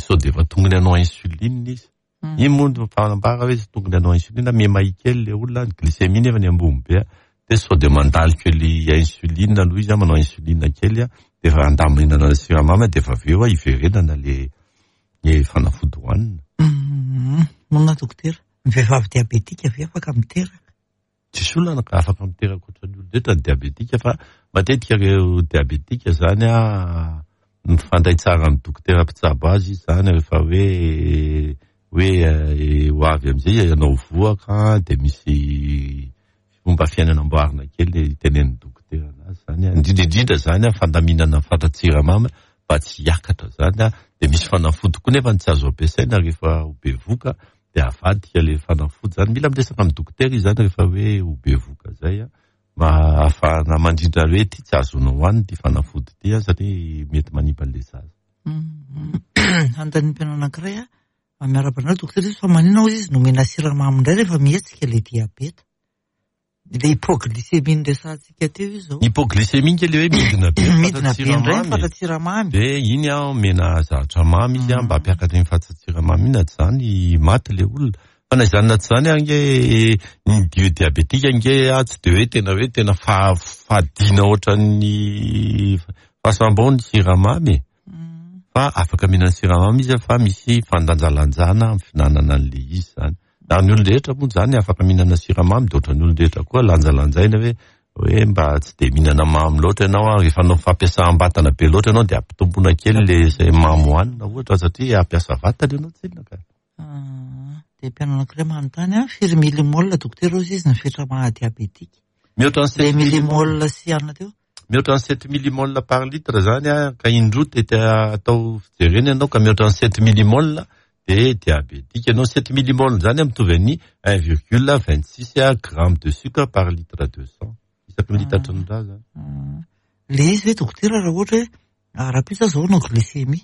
sao de efa tongony hanao insuline izy. Iny moa no fanambara hoe tsy tokony hanao insuline, miha-mahia kely le olona, ny glycémie nefa ny ambony be, de sao de mandalo kely insuline aloha izy, manao insuline kely, de efa andaminana ny siramamy, de efa avy eo hiverenana le le fanafody hohanina. Moana dokotera, ny vehivavy diabetika ve afaka miteraka? Tsisy olana ka, afaka miteraka ohatran'ny olon-drehetra ny diabetika fa matetika ireo diabetika zany an, mifandray tsara amin'ny dokotera mpitsabo azy izy zany rehefa hoe hoe ho avy amin'izay izy hanao vohoka dia misy fomba fiainana amboarina kely tenenin'ny dokotera anazy zany an, indrindra indrindra zany an fandaminana ny fatran-tsiramamy mba tsy hiakatra zany an, dia misy fanafody koa nefa tsy azo ampiasaina rehefa ho bevohoka dia avadika ilay fanafody zany, mila miresaka amin'ny dokotera izy zany rehefa hoe ho bevohoka zay an, mba ahafahana mandrindra hoe ity tsy azonao hohanina ity fanafody ity an satria mety manimba an'ilay zaza. Anontaniam-peno anankiray an, miarahaba anareo dokotera izy fa maninona hozy izy nomena siramamy indray rehefa mihetsika ilay diabeta? Ilay hypoglycémie noresahantsika teo io izao. Hypoglycémie nge le hoe midina be ny Midina be indray ny fatran-tsiramamy. Dia iny an, omena zavatra mamy izy an, mba hampiakatra iny fatran-tsiramamy iny, na tsy izany maty le olona. Fa na izany na tsy izany ange ny dio diabetika ange an, tsy dia hoe tena hoe tena fadiana ohatran'ny fasam-bao ny siramamy e. Fa afaka mihinana siramamy izy fa misy fandanjalanjana amin'ny fihinanana an'ilay izy izany. Na ny olon-drehetra moa izany afaka mihinana siramamy dia ohatran'ny olon-drehetra koa lanjalanjaina hoe hoe mba tsy dia mihinana mamy loatra ianao an, rehefa hanao fampiasam-batana be loatra ianao dia ampitomboina kely ilay izay mamy hohanina ohatra satria hampiasa vatana ianao tsinona ka. Dia mpianao anankiray manontany an, firy millimole dokotera hozy izy ny fetra maha diabetika? Mihoatra ny sept millimole sy anona teo. Mihoatra ny sept millimole par litre zany an, ka indroa tety atao fijerena ianao ka mihoatra ny sept millimole dia diabetika ianao. Sept millimole zany mitovy amin'ny un virgule 26 gramme de sucre par litre de sang. Isaky ny litatry ny rà zany. Le izy ve dokotera raha ohatra hoe rahampitso aho zao hanao glycémie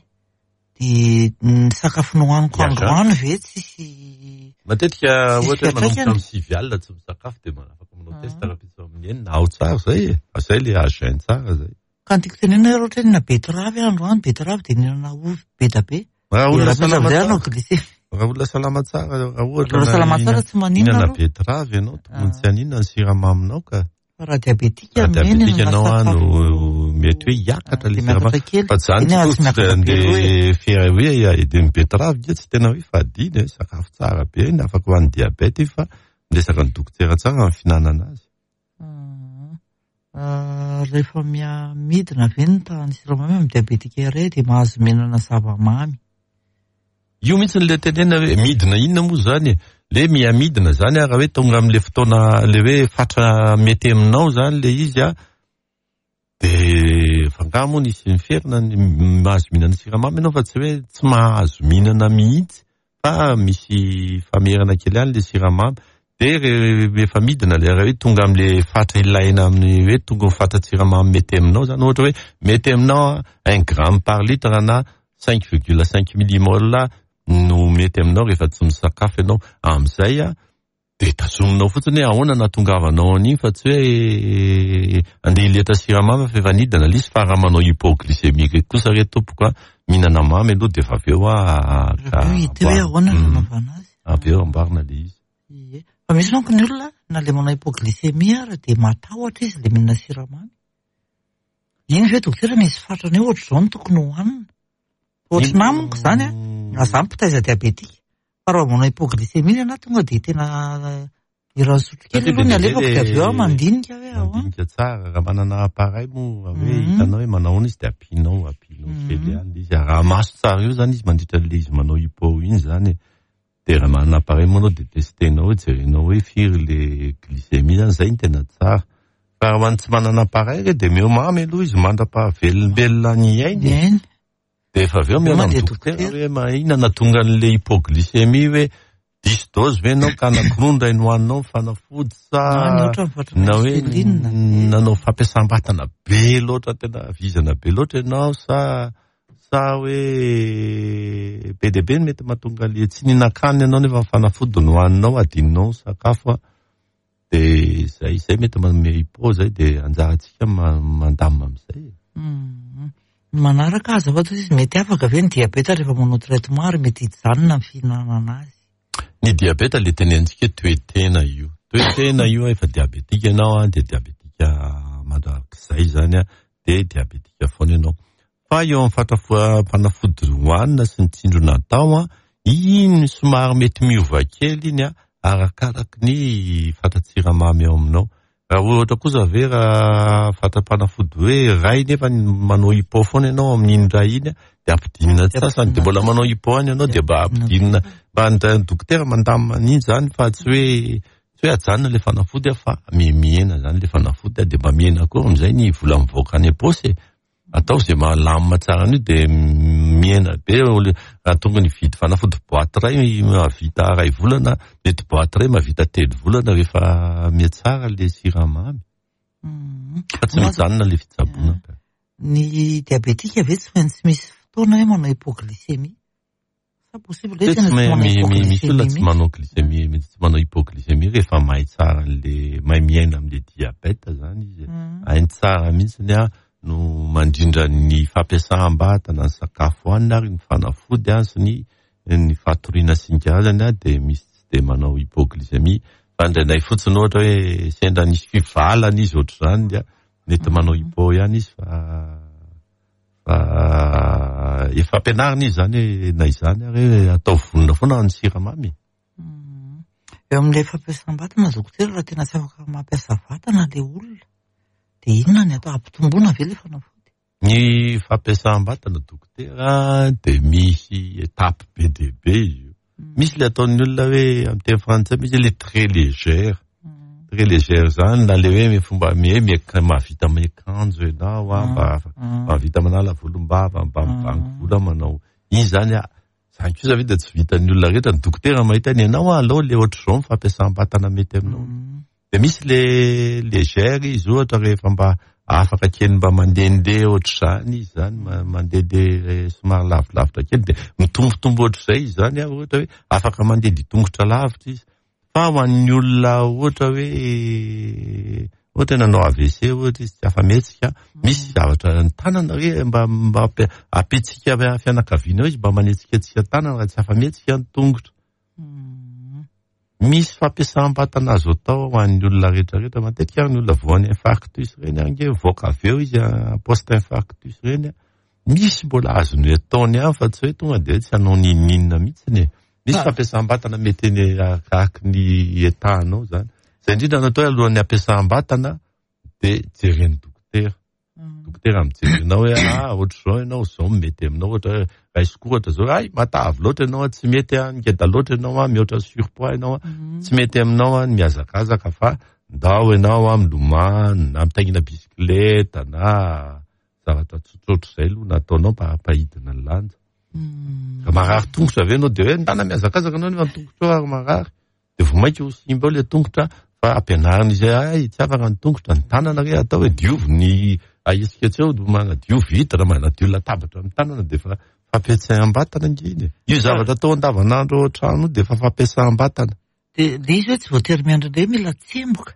dia ny sakafo nohaniko androany ve tsisy Matetika ohatra hoe manomboka amin'ny 9 alina tsy misakafo dia afaka manao test rahampitso amin'ny enina, ao tsara zay e, zay le à jeun tsara zay. Ka ny tiako tenenina hoe raha ohatra hoe nihinana betterave aho androany, betterave dia nihinana ovy be dia be. Raha olona salama tsara, raha olona salama tsara, raha ohatra Raha salama tsara tsy maninona mihinana aloha. betterave ianao, tokony tsy haninona ny siramaminao ka. Fa raha diabetika Raha no eny diabetika no ianao an, sakafo. no mety hoe hiakatra ilay Dia miakatra siramamy. kely. Fa zany Eny, tsy tsy miakatra be loha e. dia fiera hoe dia ny betterave nge tsy tena hoe fadiana e, sakafo tsara be iny, afaka ho an'ny diabeta io fa miresaka ny dokotera tsara ny fihinanana azy. Rehefa miha-midina ve ny tahan'ny siramamy amin'ny diabetika iray dia mahazo mihinana zava-mamy? Io mihitsy le tenenina hoe midina inona moa zany e? Le miha-midina zany raha hoe tonga amin'le fotoana le hoe fatra mety aminao zany le izy an, de fa angaha moa nisy niferina ny mahazo mihinana siramamy ianao fa tsy hoe tsy mahazo mihinana mihitsy fa misy famerana kely ihany le siramamy, de rehefa midina le raha hoe tonga amin'le fatra ilaina amin'ny hoe tonga ny fatran-tsiramamy mety aminao zany, ohatra hoe mety aminao un gramme par litre na 5,5 millimole no mety aminao rehefa tsy misakafo ianao amin'izay an, dia tazominao fotsiny hoe ahoana nahatongavanao an'iny fa tsy hoe andeha hiletra siramamy fa efa nidina ilay izy fa raha manao hypoglycémie kosa re tompoko an, mihinana mamy aloha dia efa avy eo an, ka hita hoe ahoana ny fanaovana azy. Avy eo amboarina ilay izy. Ie. Fa misy manko ny olona na ilay manao hypoglycémie ary dia matahotra izy ilay mihinana siramamy. Iny ve dokotera misy fatrany hoe ohatr'izao no tokony hohanina? Ohatry ny amiko izany an, na za mpitaiza diabetika, fa raha vao manao hypoglycémie ny anahy tonga dia tena iran'ny sotrokely aloha ny alefako dia avy eo aho mandinika hoe ahoana. Mandinika tsara, raha manana appareil moa hoe hitanao hoe manao ahoana izy dia ampianao, ampianao kely ihany ilay izy. Araha maso tsara eo izany izy mandritra an'ilay izy manao hypo iny izany e. Dia raha manana appareil moa anao dia testenao hoe jerenao hoe firy le glycémie zany, zay no tena tsara. Fa raha ho an'ny tsy manana appareil re dia omeo mamy aloha izy mandra-pahavelombelona ny ainy e. Dia efa avy eo mihaona amin'ny dokotera hoe ma inona nahatonga an'le hypoglycémie hoe diso dose ve ianao ka anankiroa indray nohaninao ny fanafody sa na hoe nanao fampiasam-batana be loatra tena vizana be loatra ianao sa Sa hoe be dia be ny mety mahatonga le tsy nihinan-kanina ianao nefa ny fanafody no hohaninao, adinonao ny sakafo an, de zay zay mety manome hypo zay de anjarantsika mandamina amin'izay e. Ny manaraka azafady hozy izy mety afaka ve ny diabeta rehefa manao traitement ary mety hijanona ny fihinanana azy? Ny diabeta le tenenintsika hoe toe-tena io, toe-tena io efa diabetika ianao an, de diabetika mandrakizay zany an, de diabetika foana ianao. Fa eo amin'ny fatra fanafody hohanina sy ny tsindrona atao an, iny somary mety miova kely iny an, arakaraky ny fatran-tsiramamy ao aminao. Raha ohatra kosa ve raha fatram-panafody hoe iray nefa manao hypo foana ianao amin'iny iray iny dia ampidinina ny sasany dia mbola manao hypo ihany ianao dia mba ampidinina mba ny dokotera mandamina an'iny izany fa tsy hoe tsy hoe ajanona ilay fanafody fa mihena izany ilay fanafody dia mba mihena koa amin'izay ny vola mivoaka any am-paosy e. Atao izay mahalamina tsara an'io dia mihena be raha tokony hividy fanafody boite iray mahavita iray volana, mety boite iray mahavita 3 volana rehefa mihatsara ilay siramamy. Fa tsy mijanona ilay fitsaboana ka. Ny diabetika ve tsy maintsy misy fotoana hoe manao hypoglycémie? Sa possible hoe tena tsy manao hypoglycémie? Misy olona tsy manao glycémie, mety tsy manao hypoglycémie rehefa mahay tsara an'le, mahay miaina amin'le diabète zany izy. Hainy tsara mihitsy ny no mandrindra ny fampiasam-batana, ny sakafo hohanina ary ny fanafody sy ny ny fatoriana sy ny karazany dia misy tsy dia manao hypoglycémie. Fa indraindray fotsiny ohatra hoe sendra nisy fivalana izy ohatr'izany dia mety manao hypo ihany izy fa fa efa ampianarina izy zany hoe na izany ary hoe atao vonona foana ny siramamy. Eo amin'ilay fampiasam-batana dokotera, raha tena tsy afaka mampiasa vatana ilay olona dia inona ny atao? Ampitomboina ve ilay fanafody? Ny fampiasam-batana dokotera dia misy étape be dia be izy io. Misy ilay ataon'ny olona hoe amin'ny teny frantsay misy ilay très légère. Très légère zany na ilay hoe fomba mahavita miakanjo ianao, mba mahavita manala volombava, mba mivangy vola manao. Iny zany zany kosa ve dia tsy vitan'ny olona rehetra. Ny dokotera mahita ny ianao aleo ilay ohatr'izao ny fampiasam-batana mety aminao. Dia misy le légère izy ohatra rehefa mba afaka kely mba mandehandeha ohatr'izany izy zany, mandehandeha somary lavilavitra kely dia mitombotombo ohatr'izay izy zany, ohatra hoe afaka mandeha dia tongotra lavitra izy. Fa ho an'ny olona ohatra hoe ohatra hoe nanao AVC ohatra izy tsy afa-mihetsika, misy zavatra ny tanana hoe mba mba ampitsika fianakaviana eo izy mba manetsiketsika tanana raha tsy afa-mihetsika ny tongotra. Misy fampiasam-batana azo atao ho an'ny olona rehetrarehetra. Matetika ary ny olona voan'ny infarctus ireny ange mivoaka avy eo izy post infarctus ireny. Misy mbola azony ataony ihany fa tsy hoe tonga dia tsy hanao n'inon'inona mihitsy e. Misy fampiasam-batana mety eny akaiky ny état-nao zany. Izay indrindra no atao hoe alohan'ny hampiasam-batana dia jeren'ny dokotera. Dokotera mijery anao hoe ohatr'izao ianao, izao no mety aminao, ohatra hoe raisiko ohatra zao, ay matavy loatra ianao, tsy mety ngeda loatra ianao, mihoatra surpoids ianao, tsy mety aminao ny mihazakazaka fa ndao ianao milomano na mitaingina bisikileta na zavatra tsotsotra izay aloha nataonao mba hampahidina ny lanja. Raha marary tongotra ve ianao dia hoe ndana mihazakazaka ianao nefa ny tongotrao ary marary. Dia vao mainka ho simba eo ilay tongotra fa ampianarina izy hoe ay tsy afaka ny tongotra, ny tanana re atao hoe diovy ny ahetsika tsy eo, manadio vitre, manadio latabatra amin'ny tanana dia efa fampiasam-batana ange iny e. Io zavatra atao andavanandro ao an-trano io dia efa fampiasam-batana. Dia ilay izy hoe tsy voatery miandry indray mila tsemboka.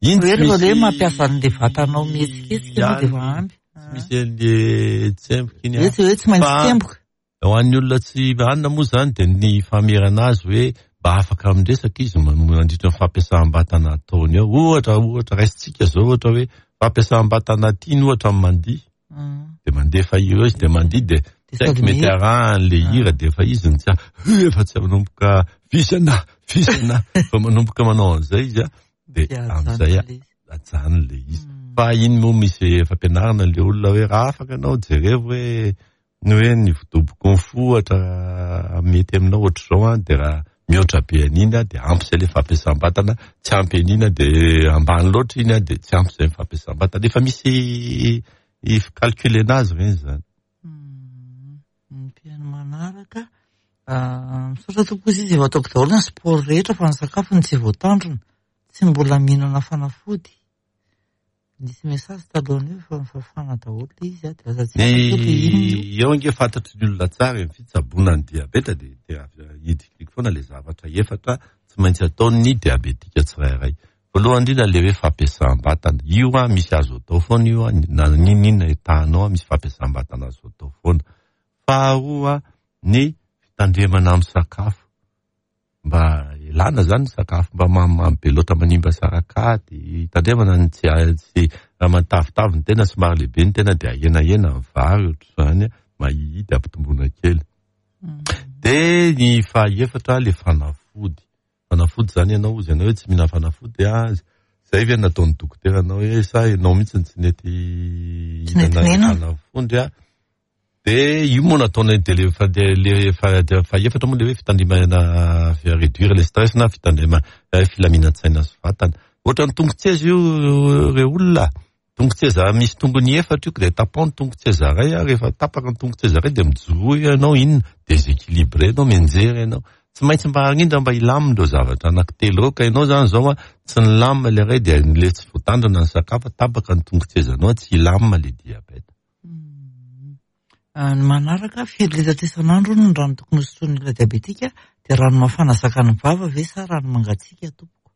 Iny tsy Hoe misy hoe mampiasa an'ilay vatanao mihetsiketsika ianao dia efa ampy. Tsy misy an'ilay tsemboka iny. Hoe tsy maintsy tsemboka. Ho an'ny olona tsy hanina moa izany dia ny famerana azy hoe mba afaka miresaka izy mandritra ny fampiasam-batana ataony eo. Ohatra, ohatra raisintsika izao ohatra hoe fampiasam-batana tiany ohatra ny mandihy. Dia mandefa hira eo izy dia mandihy dia tsy haiko mety arahan'ilay hira dia efa izy no tsy efa tsy manomboka vizana, vizana, efa manomboka manao an'izay izy dia amin'izay ajanony ilay izy. Fa iny moa misy fampianarana ilay olona hoe raha afaka ianao jerevo hoe Ny hoe ny vodoboky ny fo ohatra mety aminao ohatr'izao an, dia raha mihoatra be an'iny an, dia ampy izay ilay fampiasam-batana, tsy ampy an'iny an, dia ambany loatra iny an, dia tsy ampy izay ny fampiasam-batana. Efa misy fi-calculer-na azy ireny izany. Ny mpihaino manaraka, misaotra tompoko izy, efa ataoko daholo ny sport rehetra fa ny sakafo no tsy voatandrina, tsy mbola mihinana fanafody. Nisy message talohan'io efa nifafana daholo ilay izy dia lasa tsy haiko hoe ilay inona io. Eo ange fantatry ny olona tsara e, ny fitsaboana ny diabeta dia dia hidikidiko foana ilay zavatra efatra tsy maintsy ataon'ny diabetika tsirairay. Voalohany indrindra ilay hoe fampiasam-batana. Io an misy azo atao foana io an, na n'inon'inona etahanao an misy fampiasam-batana azo atao foana. Faharoa ny fitandremana amin'ny sakafo. Mba elana zany ny sakafo mba mamimamy be loatra manimba sarakady, tandremana ny tsy tsy raha matavitavy ny tena somary lehibe ny tena dia ahenahena ny vary ohatr'izany mahihihy dia ampitomboina kely. Dia ny fahaefatra le fanafody. Fanafody izany ianao hozy ianao hoe tsy mihinana fanafody ah, zay ve nataon'ny dokotera anao hoe sa ianao mihitsy no tsy nety hihinana fanafody ah. De io moa nataonay de le fa de le fa fahefatra moa le hoe fitandremana réduire le stress na fitandremana filaminan-tsaina sy vatana. Ohatran'ny tongotseza io re olona. Tongotseza misy tongony efatra io dia tapaho ny tongotseza iray a, rehefa tapaka ny tongotseza iray dia mijoroa eo ianao inona, déséquilibré ianao, mianjera ianao. Tsy maintsy mba arindra mba hilamina ireo zavatra anankitelo ireo ka ianao izany izao a, tsy nilamina ilay iray dia ilay tsy voatandrina ny sakafo, tapaka ny tongotsezanao tsy hilamina ilay diabeta. Ny manaraka, firy litatra isan'andro hono ny rano tokony hosotroin'ny olona diabetika dia rano mafana zakan'ny vava ve sa rano mangatsiaka tompoko?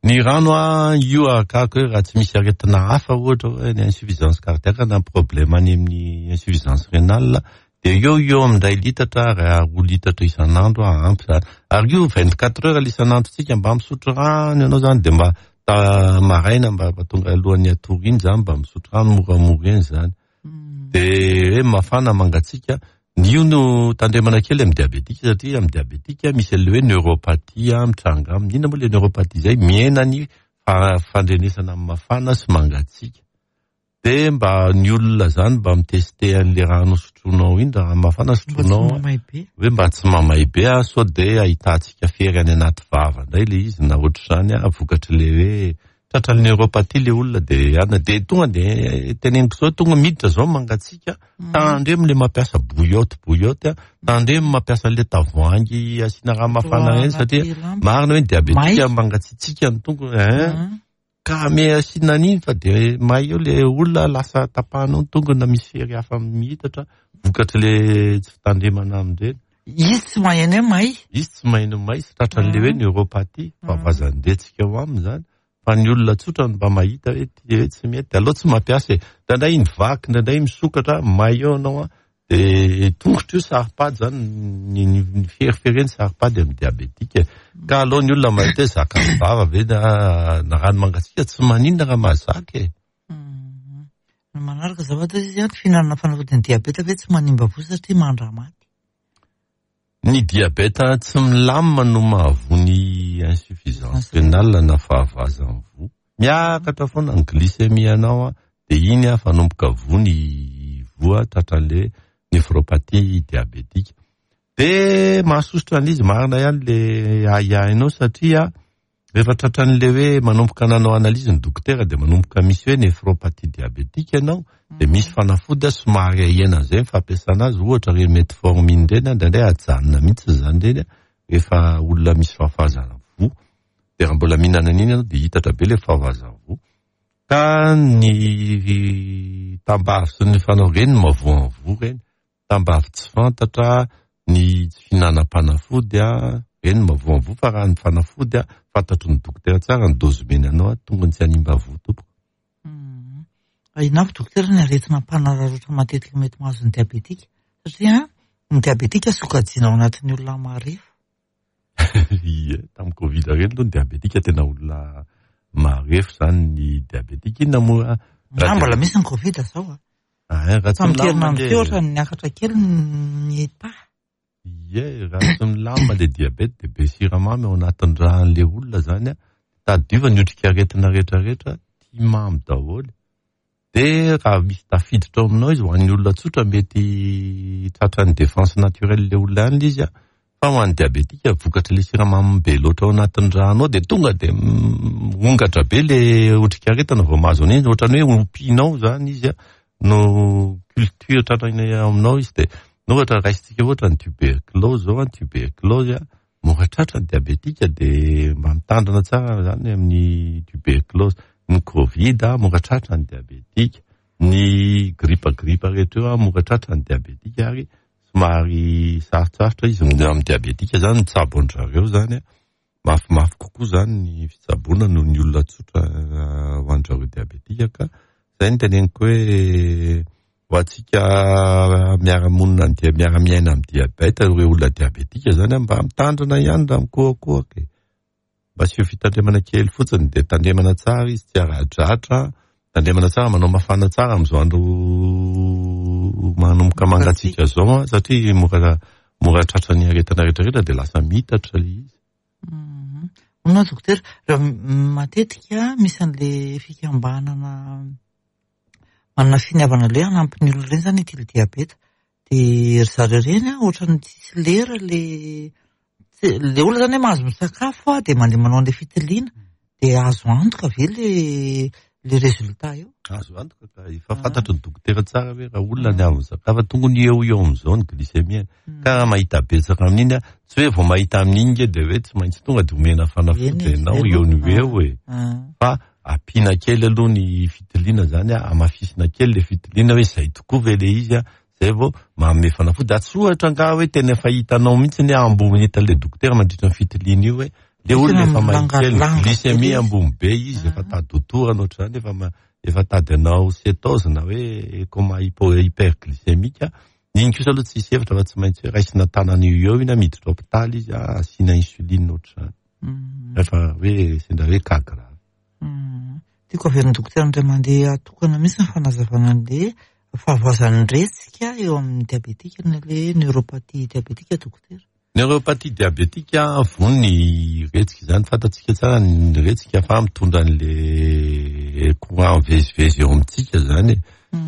Ny rano an, io arakaraka hoe raha tsy misy aretina hafa ohatra hoe ny insuffisance cardiaque na problème any amin'ny insuffisance rénale dia eo eo amin'ny iray litatra raha roa litatra isan'andro ampy zany. Ary io 24 heures isan'androntsika mba misotro rano ianao zany dia mba maraina mba tonga alohan'ny hatory iny zany mba misotro rano moramora eny zany. Dia hoe mafana mangatsiaka Ny io no tandremana kely amin'ny diabetika satria amin'ny diabetika misy an'ilay hoe neuropathie mitranga aminy. Inona moa ilay neuropathie izay? Mihena ny fandrenesana amin'ny mafana sy mangatsiaka. Dia mba ny olona izany mba mitester an'ilay rano sotroinao iny, rano mafana sotroinao hoe mba tsy mamay be sao dia ahitantsika fery any anaty vava indray ilay izy na ohatr'izany vokatr'ilay hoe Tratran'ny neuropathie le olona de ana de tonga de teneniko zao tonga miditra zao mangatsiaka tandremo le mampiasa bouillotte bouillotte a tandremo mampiasa le tavoahangy asiana rano mafana reny satria marina hoe ny diabetika mangatsiatsiaka ny tongony hein ka ame asiana an'iny fa de may eo le olona lasa tapahanao ny tongony na misy fery hafa mihitatra vokatry le tsy fitandremana amin'ireny. Izy tsy maheno hoe may. Izy tsy maheno may sy tratran'le hoe neuropathie, fahavoazan-dretsika ao aminy zany. Fa ny olona tsotra no mba mahita hoe ty hoe tsy mety, aleo tsy mampiasa e. Indraindray iny vaky, indraindray misokatra, may eo ianao an, de tongotra io saro-pady zany, ny ny ferifereny saro-pady amin'ny diabetika e. Ka aleo ny olona mahita hoe zakan'ny vava ve na na rano mangatsiaka, tsy maninona raha mahazaka e. Ny manaraka azafady izy an, fihinanana fanafodin'ny diabeta ve tsy manimba voa satria mandra-maty? Ny diabeta tsy milamina no mahavoa ny insuffisance rénale na fahavoazan'ny voa. Miakatra foana ny glycémie anao dia iny fanomboka voa ny voa tratran'ilay néphropathie diabétique. Dia mahasosotra an'izy marina ihany le ahiahinao satria Rehefa tratran'ilay hoe manomboka nanao analyse ny dokotera dia manomboka misy hoe néphropathie diabétique ianao dia misy fanafody somary ahena an'izay ny fampiasana azy, ohatra ireny metformine ireny indraindray ajanona mihitsy izany ireny rehefa olona misy fahafahazana voa, dia raha mbola mihinana an'iny ianao dia hitatra be ilay fahavoazana voa. Ka ny tambavy sy ny fanao ireny no mahavoa ny voa ireny. Tambavy tsy fantatra, ny tsy fihinanam-panafody, ireny no mahavoa fa raha ny fanafody fantatry ny dokotera tsara ny dose omeny anao, tongony tsy hanimba voa tompoko. Inona avy dokotera ny aretina mpanararaotra matetika mety mahazo ny diabetika? Satria ny diabetika sokajiana ao anatin'ny olona marefo. Ie, tamin'ny Covid ireny aloha ny diabetika tena olona marefo izany ny diabetika. Inona moa? Raha mbola misy ny Covid izao a. Ah, raha tsy Tamin'ny milamina herinandro le teo ohatran'ny niakatra kely ny taha. Ie, raha tsy milamina le diabète dia be siramamy ao anatin'ny ràn'le olona zany a. Tadidio fa ny otrikaretina rehetrarehetra tia mamy daholo. Dia raha misy tafiditra ao aminao izy, ho an'ny olona tsotra mety tratran'ny défense naturelle le olona ihany le izy a. Fa ho an'ny diabetika, vokatry le siramamy be loatra ao anatin'ny rànao dia tonga dia mirongatra be le otrikaretina vao mahazo an'iny, ohatran'ny hoe ompianao zany izy no culture tratrany aminao izy dia ohatra raisintsika ohatra ny tuberculose zao an, tuberculose an, mora tratra ny diabetika dia mba mitandrina tsara zany amin'ny tuberculose, ny covid mora tratra ny diabetika, ny gripa gripa rehetra io mora tratra ny diabetika ary somary sarotsarotra izy amin'ny diabetika zany mitsabo an-dry zareo zany mafimafy kokoa zany ny fitsaboana noho ny olona tsotra ho an-dry zareo diabetika ka zay no teneniko hoe ho antsika miara-monina amin'ny dia miara-miaina amin'ny diabeta ireo olona diabetika zany mba mitandrina ihany raha mikohakohaka e. Mba asio fitandremana kely fotsiny dia tandremana tsara izy tsy ara-dratra, tandremana tsara manao mafana tsara amin'izao andro manomboka mangatsiaka izao an, satria mora mora tratran'ny aretina rehetra rehetra dia lasa mitatra ilay izy. Hono hoa dokotera, raha matetika misy an'le fikambanana manana finiavana le hanampy ny olona ireny zany ity le diabeta. Dia ry zareo ireny an, ohatran'ny tsisy lera le le olona zany hoe mahazo misakafo dia mandeha manao an'le fitiliana. Dia azo antoka ve le le résultat eo? Azo antoka ka, efa fantatry ny dokotera tsara hoe raha olona ny avy misakafo, tongony eo eo amin'izao ny glycémie. Ka raha mahita betsaka amin'iny, tsy hoe vao mahita amin'iny nge dia hoe tsy maintsy tonga dia omena fanafody ianao eo no eo e. Fa ampiana kely aloha ny fitiliana zany, hamafisina kely le fitiliana hoe izay tokoa ve le izy, zay vao manome fanafody. Tsy ohatra angaha hoe tena efa hitanao mihitsy ny ambony hitan'ilay dokotera mandritra ny fitiliana io hoe le olona efa mahita kely glycémie ambony be izy, efa tady ho torana ohatr'izany, efa tady hanao cétose na hoe coma hyperglycémique. Iny kosa aloha tsisy hevitra fa tsy maintsy hoe raisina tanana eo eo iny, miditra hôpitaly izy, asiana insuline ohatr'izany. Rehefa hoe sendra hoe cas grave. Tiako averin'ny dokotera indray mandeha atokana mihitsy ny fanazavana an'le fahavoazan'ny retsika eo amin'ny diabetika na le neuropathie diabetika dokotera. Neuropathie diabetika voa ny retsika izany, fantatsika tsara ny retsika fa mitondra an'le courant mivezivezy eo amintsika izany.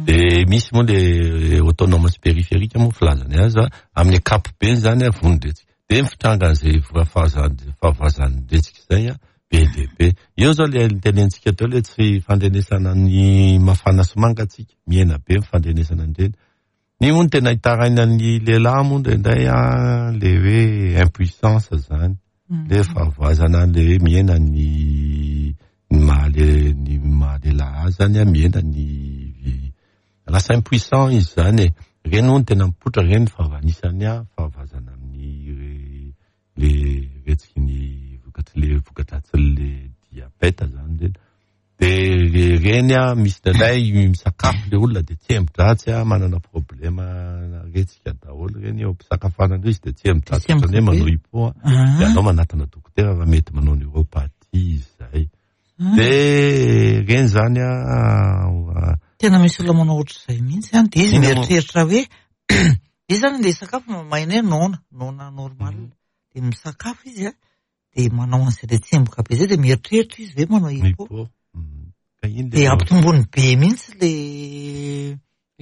Dia misy moa le autonome sy périphérique moa filazany azy, amin'ny ankapobeny izany voa ny retsika. Dia ny fitrangan'izay fahavoazan'ny retsika izay be dia be. Eo izao le nitenentsika teo le tsy fandrenesana ny mafana sy mangatsiaka, mihena be ny fandrenesana an'ireny. Ny moa no tena itarainan'ny lehilahy moa indraindray le hoe impuissance zany, le fahavoazana le hoe mihena ny ny maha le ny maha lehilahy azy zany, mihena ny lasa impuissant izy zany e. Ireny moa no tena mipoitra ireny fa anisany fahavoazana amin'ny le retsiky ny vokatry le vokadratsin'le diabète zany ireny. De ireny misy indraindray misakafo le olona de tsembo-dratsy manana problème retsika daholo ireny eo am-pisakafoanana eo izy de tsembo-dratsy ohatran'ny hoe manao hypo, de aleo manatona dokotera fa mety manao neuropathie izy zay. De ireny zany Tena misy olona manao ohatr'izay mihitsy an, de izy mieritreritra hoe izy zany andeha hisakafo mahay hoe noana, noana normal. De misakafo izy an, de manao an'izay le tsemboka be zay de mieritreritra izy hoe manao hypo. De ampitombony be mihitsy le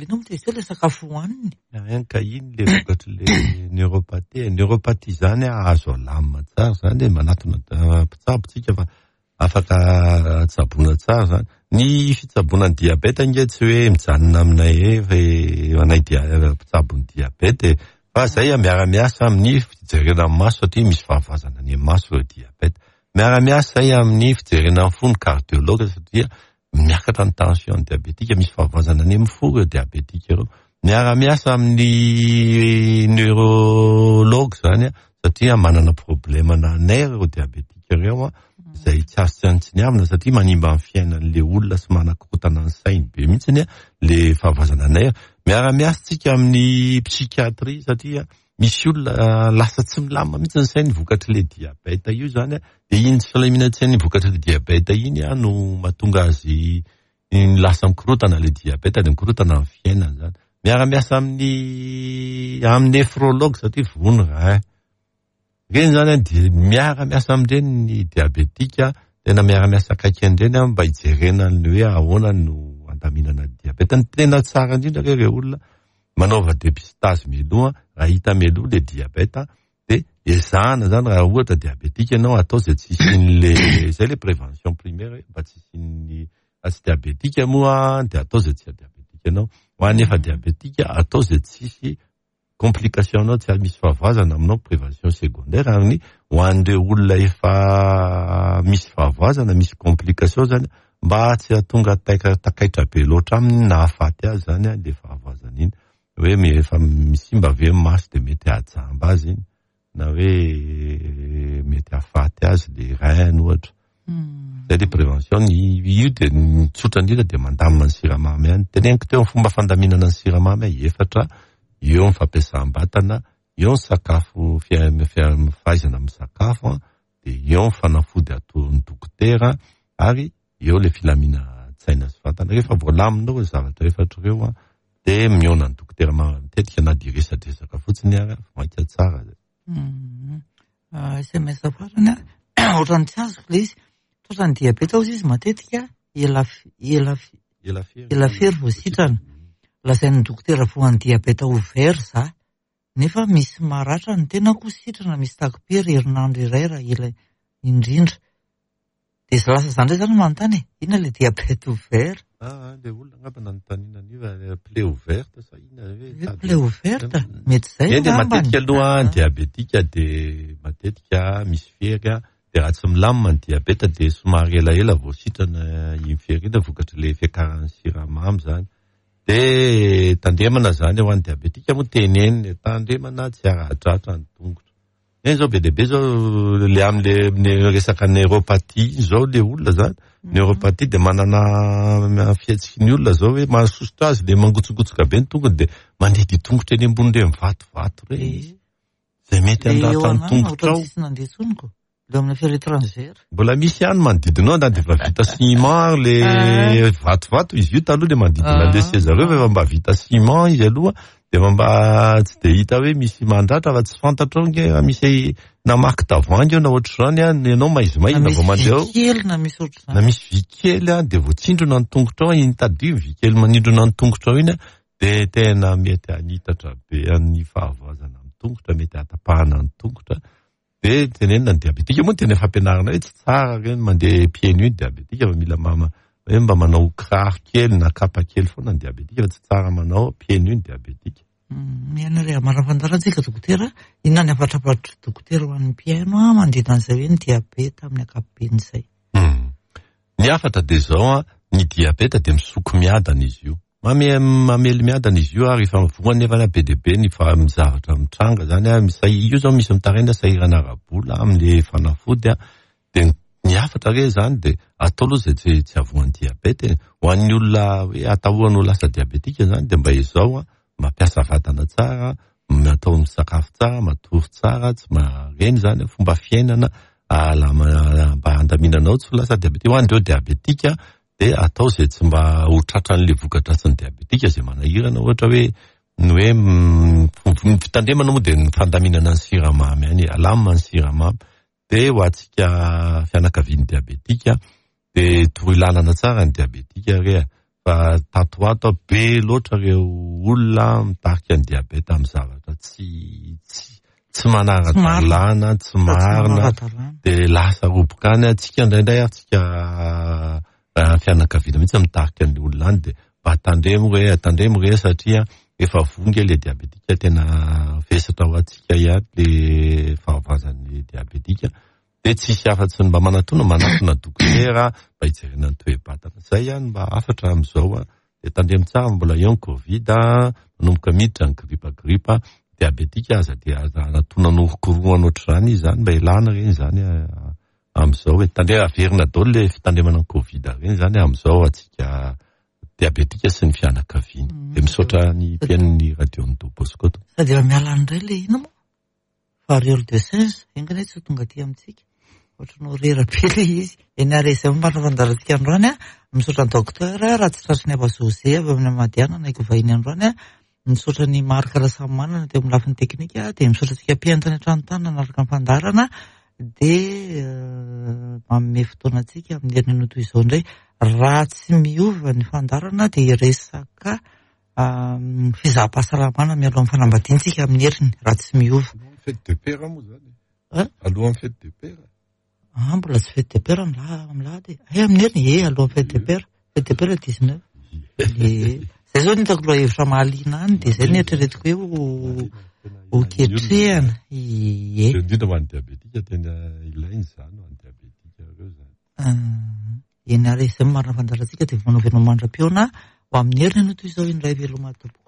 inona moa izy teo le sakafo hohaniny. Ka iny le vokatry le neuropathie. Neuropathie zany azo alamina tsara zany e, manatona mpitsabo tsika fa afaka tsaboina tsara zany. Ny fitsaboana ny diabeta ange tsy hoe mijanona aminay e, anay mpitsabo ny diabeta e, fa zay miara-miasa amin'ny fijerena ny maso satria misy fahavoazana any amin'ny maso ireo diabeta. Miara-miasa zay amin'ny fijerena ny fo ny cardiologue satria miakatra ny tension ny diabetika, misy fahavoazana any amin'ny fo ireo diabetika ireo. Miara-miasa amin'ny neurologue zany satria manana problème na nerf ireo diabetika ireo izay tsy azo tsinontsiniavina satria manimba ny fiainan'le olona sy manakorontana ny sainy be mihitsy le fahavoazana nerf. Miara-miasa tsika amin'ny psychiatrie satria misy olona lasa tsy milamina mihitsy ny sainy vokatry le diabète io zany, de iny tsy filaminan-tsainy vokatry le diabète iny no mahatonga azy lasa mikorotana le diabète, de mikorotana ny fiainany zany. Miara-miasa amin'ny amin'ny néphrologue satria voa ny rein. Ireny zany dia miara-miasa amin'ireny ny diabetika, tena miara-miasa akaiky an'ireny mba hijerena ny hoe ahoana no andaminana ny diabète. Ny tena tsara indrindra re ireo olona manaova dépistage mialoha, raha hita mialoha le diabète de ezahana zany raha ohatra diabetika ianao atao izay tsy hisian'le, izay le prévention primaire hoe mba tsy hisian'ny, raha tsy diabetika moa dia atao izay tsy hadiabetika anao, ho an'ny efa diabetika atao izay tsy hisy complication anao, tsy misy fahavoazana aminao, prévention secondaire. Ary ny ho an'ireo olona efa misy fahavoazana, misy complication zany, mba tsy hahatonga takaitra be loatra aminy na hahafaty azy zany le fahavoazana iny, hoe efa misimba ve ny maso de mety hahajamba azy iny, na hoe mety hahafaty azy le rein ohatra. Zay le prévention, ny io de ny tsotra indrindra de mandamina ny siramamy ihany. Teneniko teo ny fomba fandaminana ny siramamy efatra, eo ny fampiasam-batana, eo ny sakafo, fahaizana misakafo, de eo ny fanafody atoron'ny dokotera, ary eo le filaminan-tsaina sy vatana. Rehefa voalaminao ireo zavatra efatra ireo, de mihaona ny dokotera matetika na de resadresaka fotsiny ary, vao mainka tsara zay. SMS farany. Ohatran'ny tsy azoko ilay izy. Tratran'ny diabeta hozy izy matetika ela ela ela fery vao sitrana. Lazain'ny dokotera voan'ny diabeta ouvert za. Nefa misy maratra ny tenako sitrana misy takim-pery herinandro iray raha ela indrindra. Dia lasa za indray zany manontany e, inona ilay diabète ouvert? Ah, ilay olona angamba nanontaniana an'io fa plaie ouverte sa inona hoe Hoe plaie ouverte? Mety izay Eny, dia matetika aloha ny diabetika dia matetika misy fery an, dia raha tsy milamina ny diabeta dia somary elaela vao sitrana iny fery iny vokatr'ilay fiakaran'ny siramamy izany. Dia tandremana izany ho an'ny diabetika moa tenenina e, tandremana tsy hara-dratra ny tongotra. Eny zao be dia be zao le amle le resaka neuropathie iny zao le olona zany. Neuropathie de manana fihetsiky ny olona zao hoe mahasosotra azy le mangotsokotsoka be ny tongony de mandeha dia tongotra eny ambony reny vatovato reny izy. Zay mety handratra ny tongotra ao. Tsisy nandeha intsony ko. Le amin'ny affaire étrangère. Mbola misy ihany manodidina ao na dia efa vita ciment ary le vatovato izy io taloha le manodidina le seza reo fa efa mba vita ciment izy aloha dia efa mba tsy dia hita hoe misy mandratra fa tsy fantatrao nge raha misy namaky tavoahangy eo na ohatr'izany an, ianao maizimaizina vao mandeha ao. kely na misy ohatr'izany. Na misy vy kely an, dia voatsindrona ny tongotrao, iny tadidio iny vy kely manindrona ny tongotrao iny an, dia tena mety hanitatra be an'ny fahavoazana amin'ny tongotra, mety hahatapahana ny tongotra. Dia tenenina ny diabetika moa tena fampianarana hoe tsy tsara ireny mandeha pieds nus ny diabetika fa mila mama hoe mba manao kiraro kely na kapa kely foana ny diabetika fa tsy tsara manao pieds nus ny diabetika. Mihaino ary amara-fantarana tsika dokotera, inona ny hafatrafatry dokotera ho an'ny mpihaino a manodidina an'izay hoe ny diabeta amin'ny ankapobeny izay. Ny hafatra dia izao an, ny diabeta dia misoko miadana izy io. Mamely miadana izy io ary efa voa nefa be dia be ny zavatra mitranga zany an, io zao misy mitaraina sahirana ara-bola amin'le fanafody an, dia ny hafatra re zany dia atao aloha izay tsy tsy havoan'ny diabeta e. Ho an'ny olona hoe atahorana ho lasa diabetika zany dia mba ezao an, mampiasa vatana tsara, atao misakafo tsara, matory tsara, tsy ireny zany fomba fiainana mba handaminanao tsy ho lasa diabetika. Ho an'ireo diabetika dia atao izay tsy mba ho tratran'ilay voka-dratsin'ny diabetika izay manahirana ohatra hoe ny hoe ny fitandremana moa dia ny fandaminana ny siramamy ihany e, alamina ny siramamy dia ho antsika fianakavian'ny diabetika dia toroy lalana tsara ny diabetika re fa tato ho ato be loatra ireo olona mitarika ny diabeta amin'ny zavatra tsy tsy tsy manara-dalàna, tsy marina, dia lasa roboka any antsika indraindray ary tsika fianakaviana mihitsy mitarika ny olona any dia mba tandremo re, tandremo re satria efa voa nge le diabetika tena vesatra ho antsika ihany le fahavoazan'ny diabetika dia tsisy afa-tsy ny mba manatona manatona dokotera mba hijerena ny toe-batana. Zay ihany mba hafatra amin'izao an. Dia tandremo tsara mbola eo ny covid, manomboka miditra ny gripa gripa, diabetika aza dia aza anatona norokorohana ohatr'izany izy zany mba elana ireny zany amin'izao e. Tandremo averina daholo le fitandremana ny covid ireny zany amin'izao antsika diabetika sy ny fianakaviany. Dia misaotra ny mpihaino ny radio ny Don Bosco. Sady efa miala indray le ino moa? Variole de singe, enga anie tsy ho tonga aty amintsika. Ohatran'ny horera be ilay izy. Eny ary izay momba ny fandaharantsika androany an. Misaotra ny docteur raha tsy tratry ny Aba José avy amin'ny Madiana naiko vahiny androany an. Misaotra ny Marc Rasamimanana teo amin'ny lafiny teknika dia misaotra antsika mpihaino tany an-trano tany nanaraka ny fandaharana dia manome fotoana antsika amin'ny herinandro toy izao indray. Raha tsy miova ny fandaharana dia hiresaka fizaham-pahasalamana mialohan'ny fanambadiana tsika amin'ny heriny raha tsy miova. Alohan'ny fête de père moa zany. Hein? Alohan'ny fête de père. Ah, mbola tsy fête de père amin'ny lahady e. Hay amin'ny heriny, e, alohan'ny fête de père. Fête de père 19. E. Zay zao no hitako lohahevitra mahaliana any dia zay no eritreretiko hoe ho ho ketrehana. Ie. Indrindra ho an'ny diabetika tena ilaina izany ho an'ny diabetika ireo zany. Eny ary izay no marina fandaharantsika dia manao veloma mandra-pihaona ho amin'ny heriny anio toy izao indray veloma tompoko.